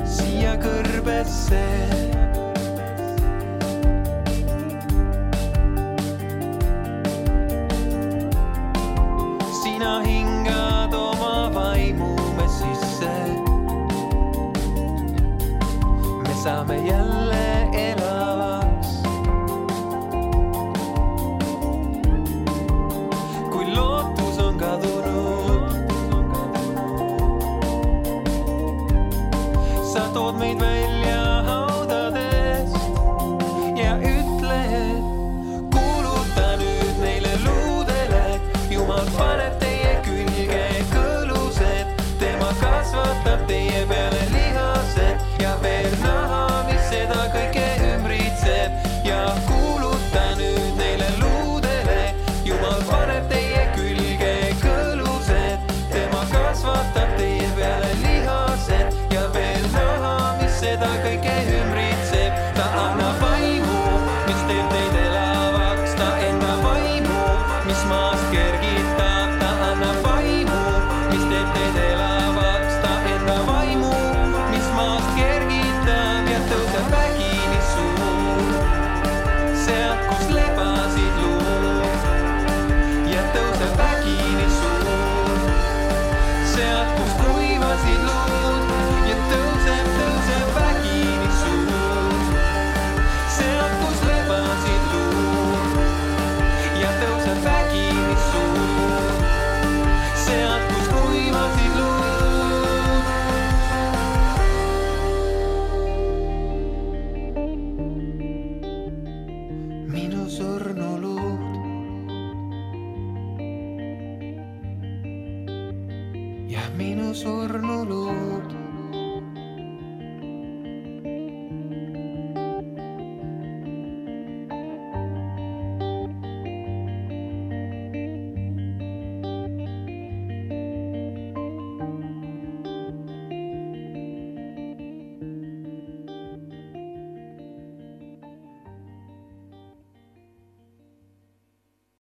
siia kõrbesse. Sina hingad oma vaimu me sisse. Me saame jälle elavaks. Lootus on kadunud. Sa tood meid välja haudadest ja ütled, kuuluta nüüd neile luudele. Jumal paneb teie külge kõlused, tema kasvatab teie peale lihased ja veel naha, mis seda kõike ümbritseb. Ja kuuluta nüüd neile luudele, Jumal paneb teie külge kõlused, tema kasvatab teie peale lihased ja veel naha, mis seda kõike ja minu surnu luud.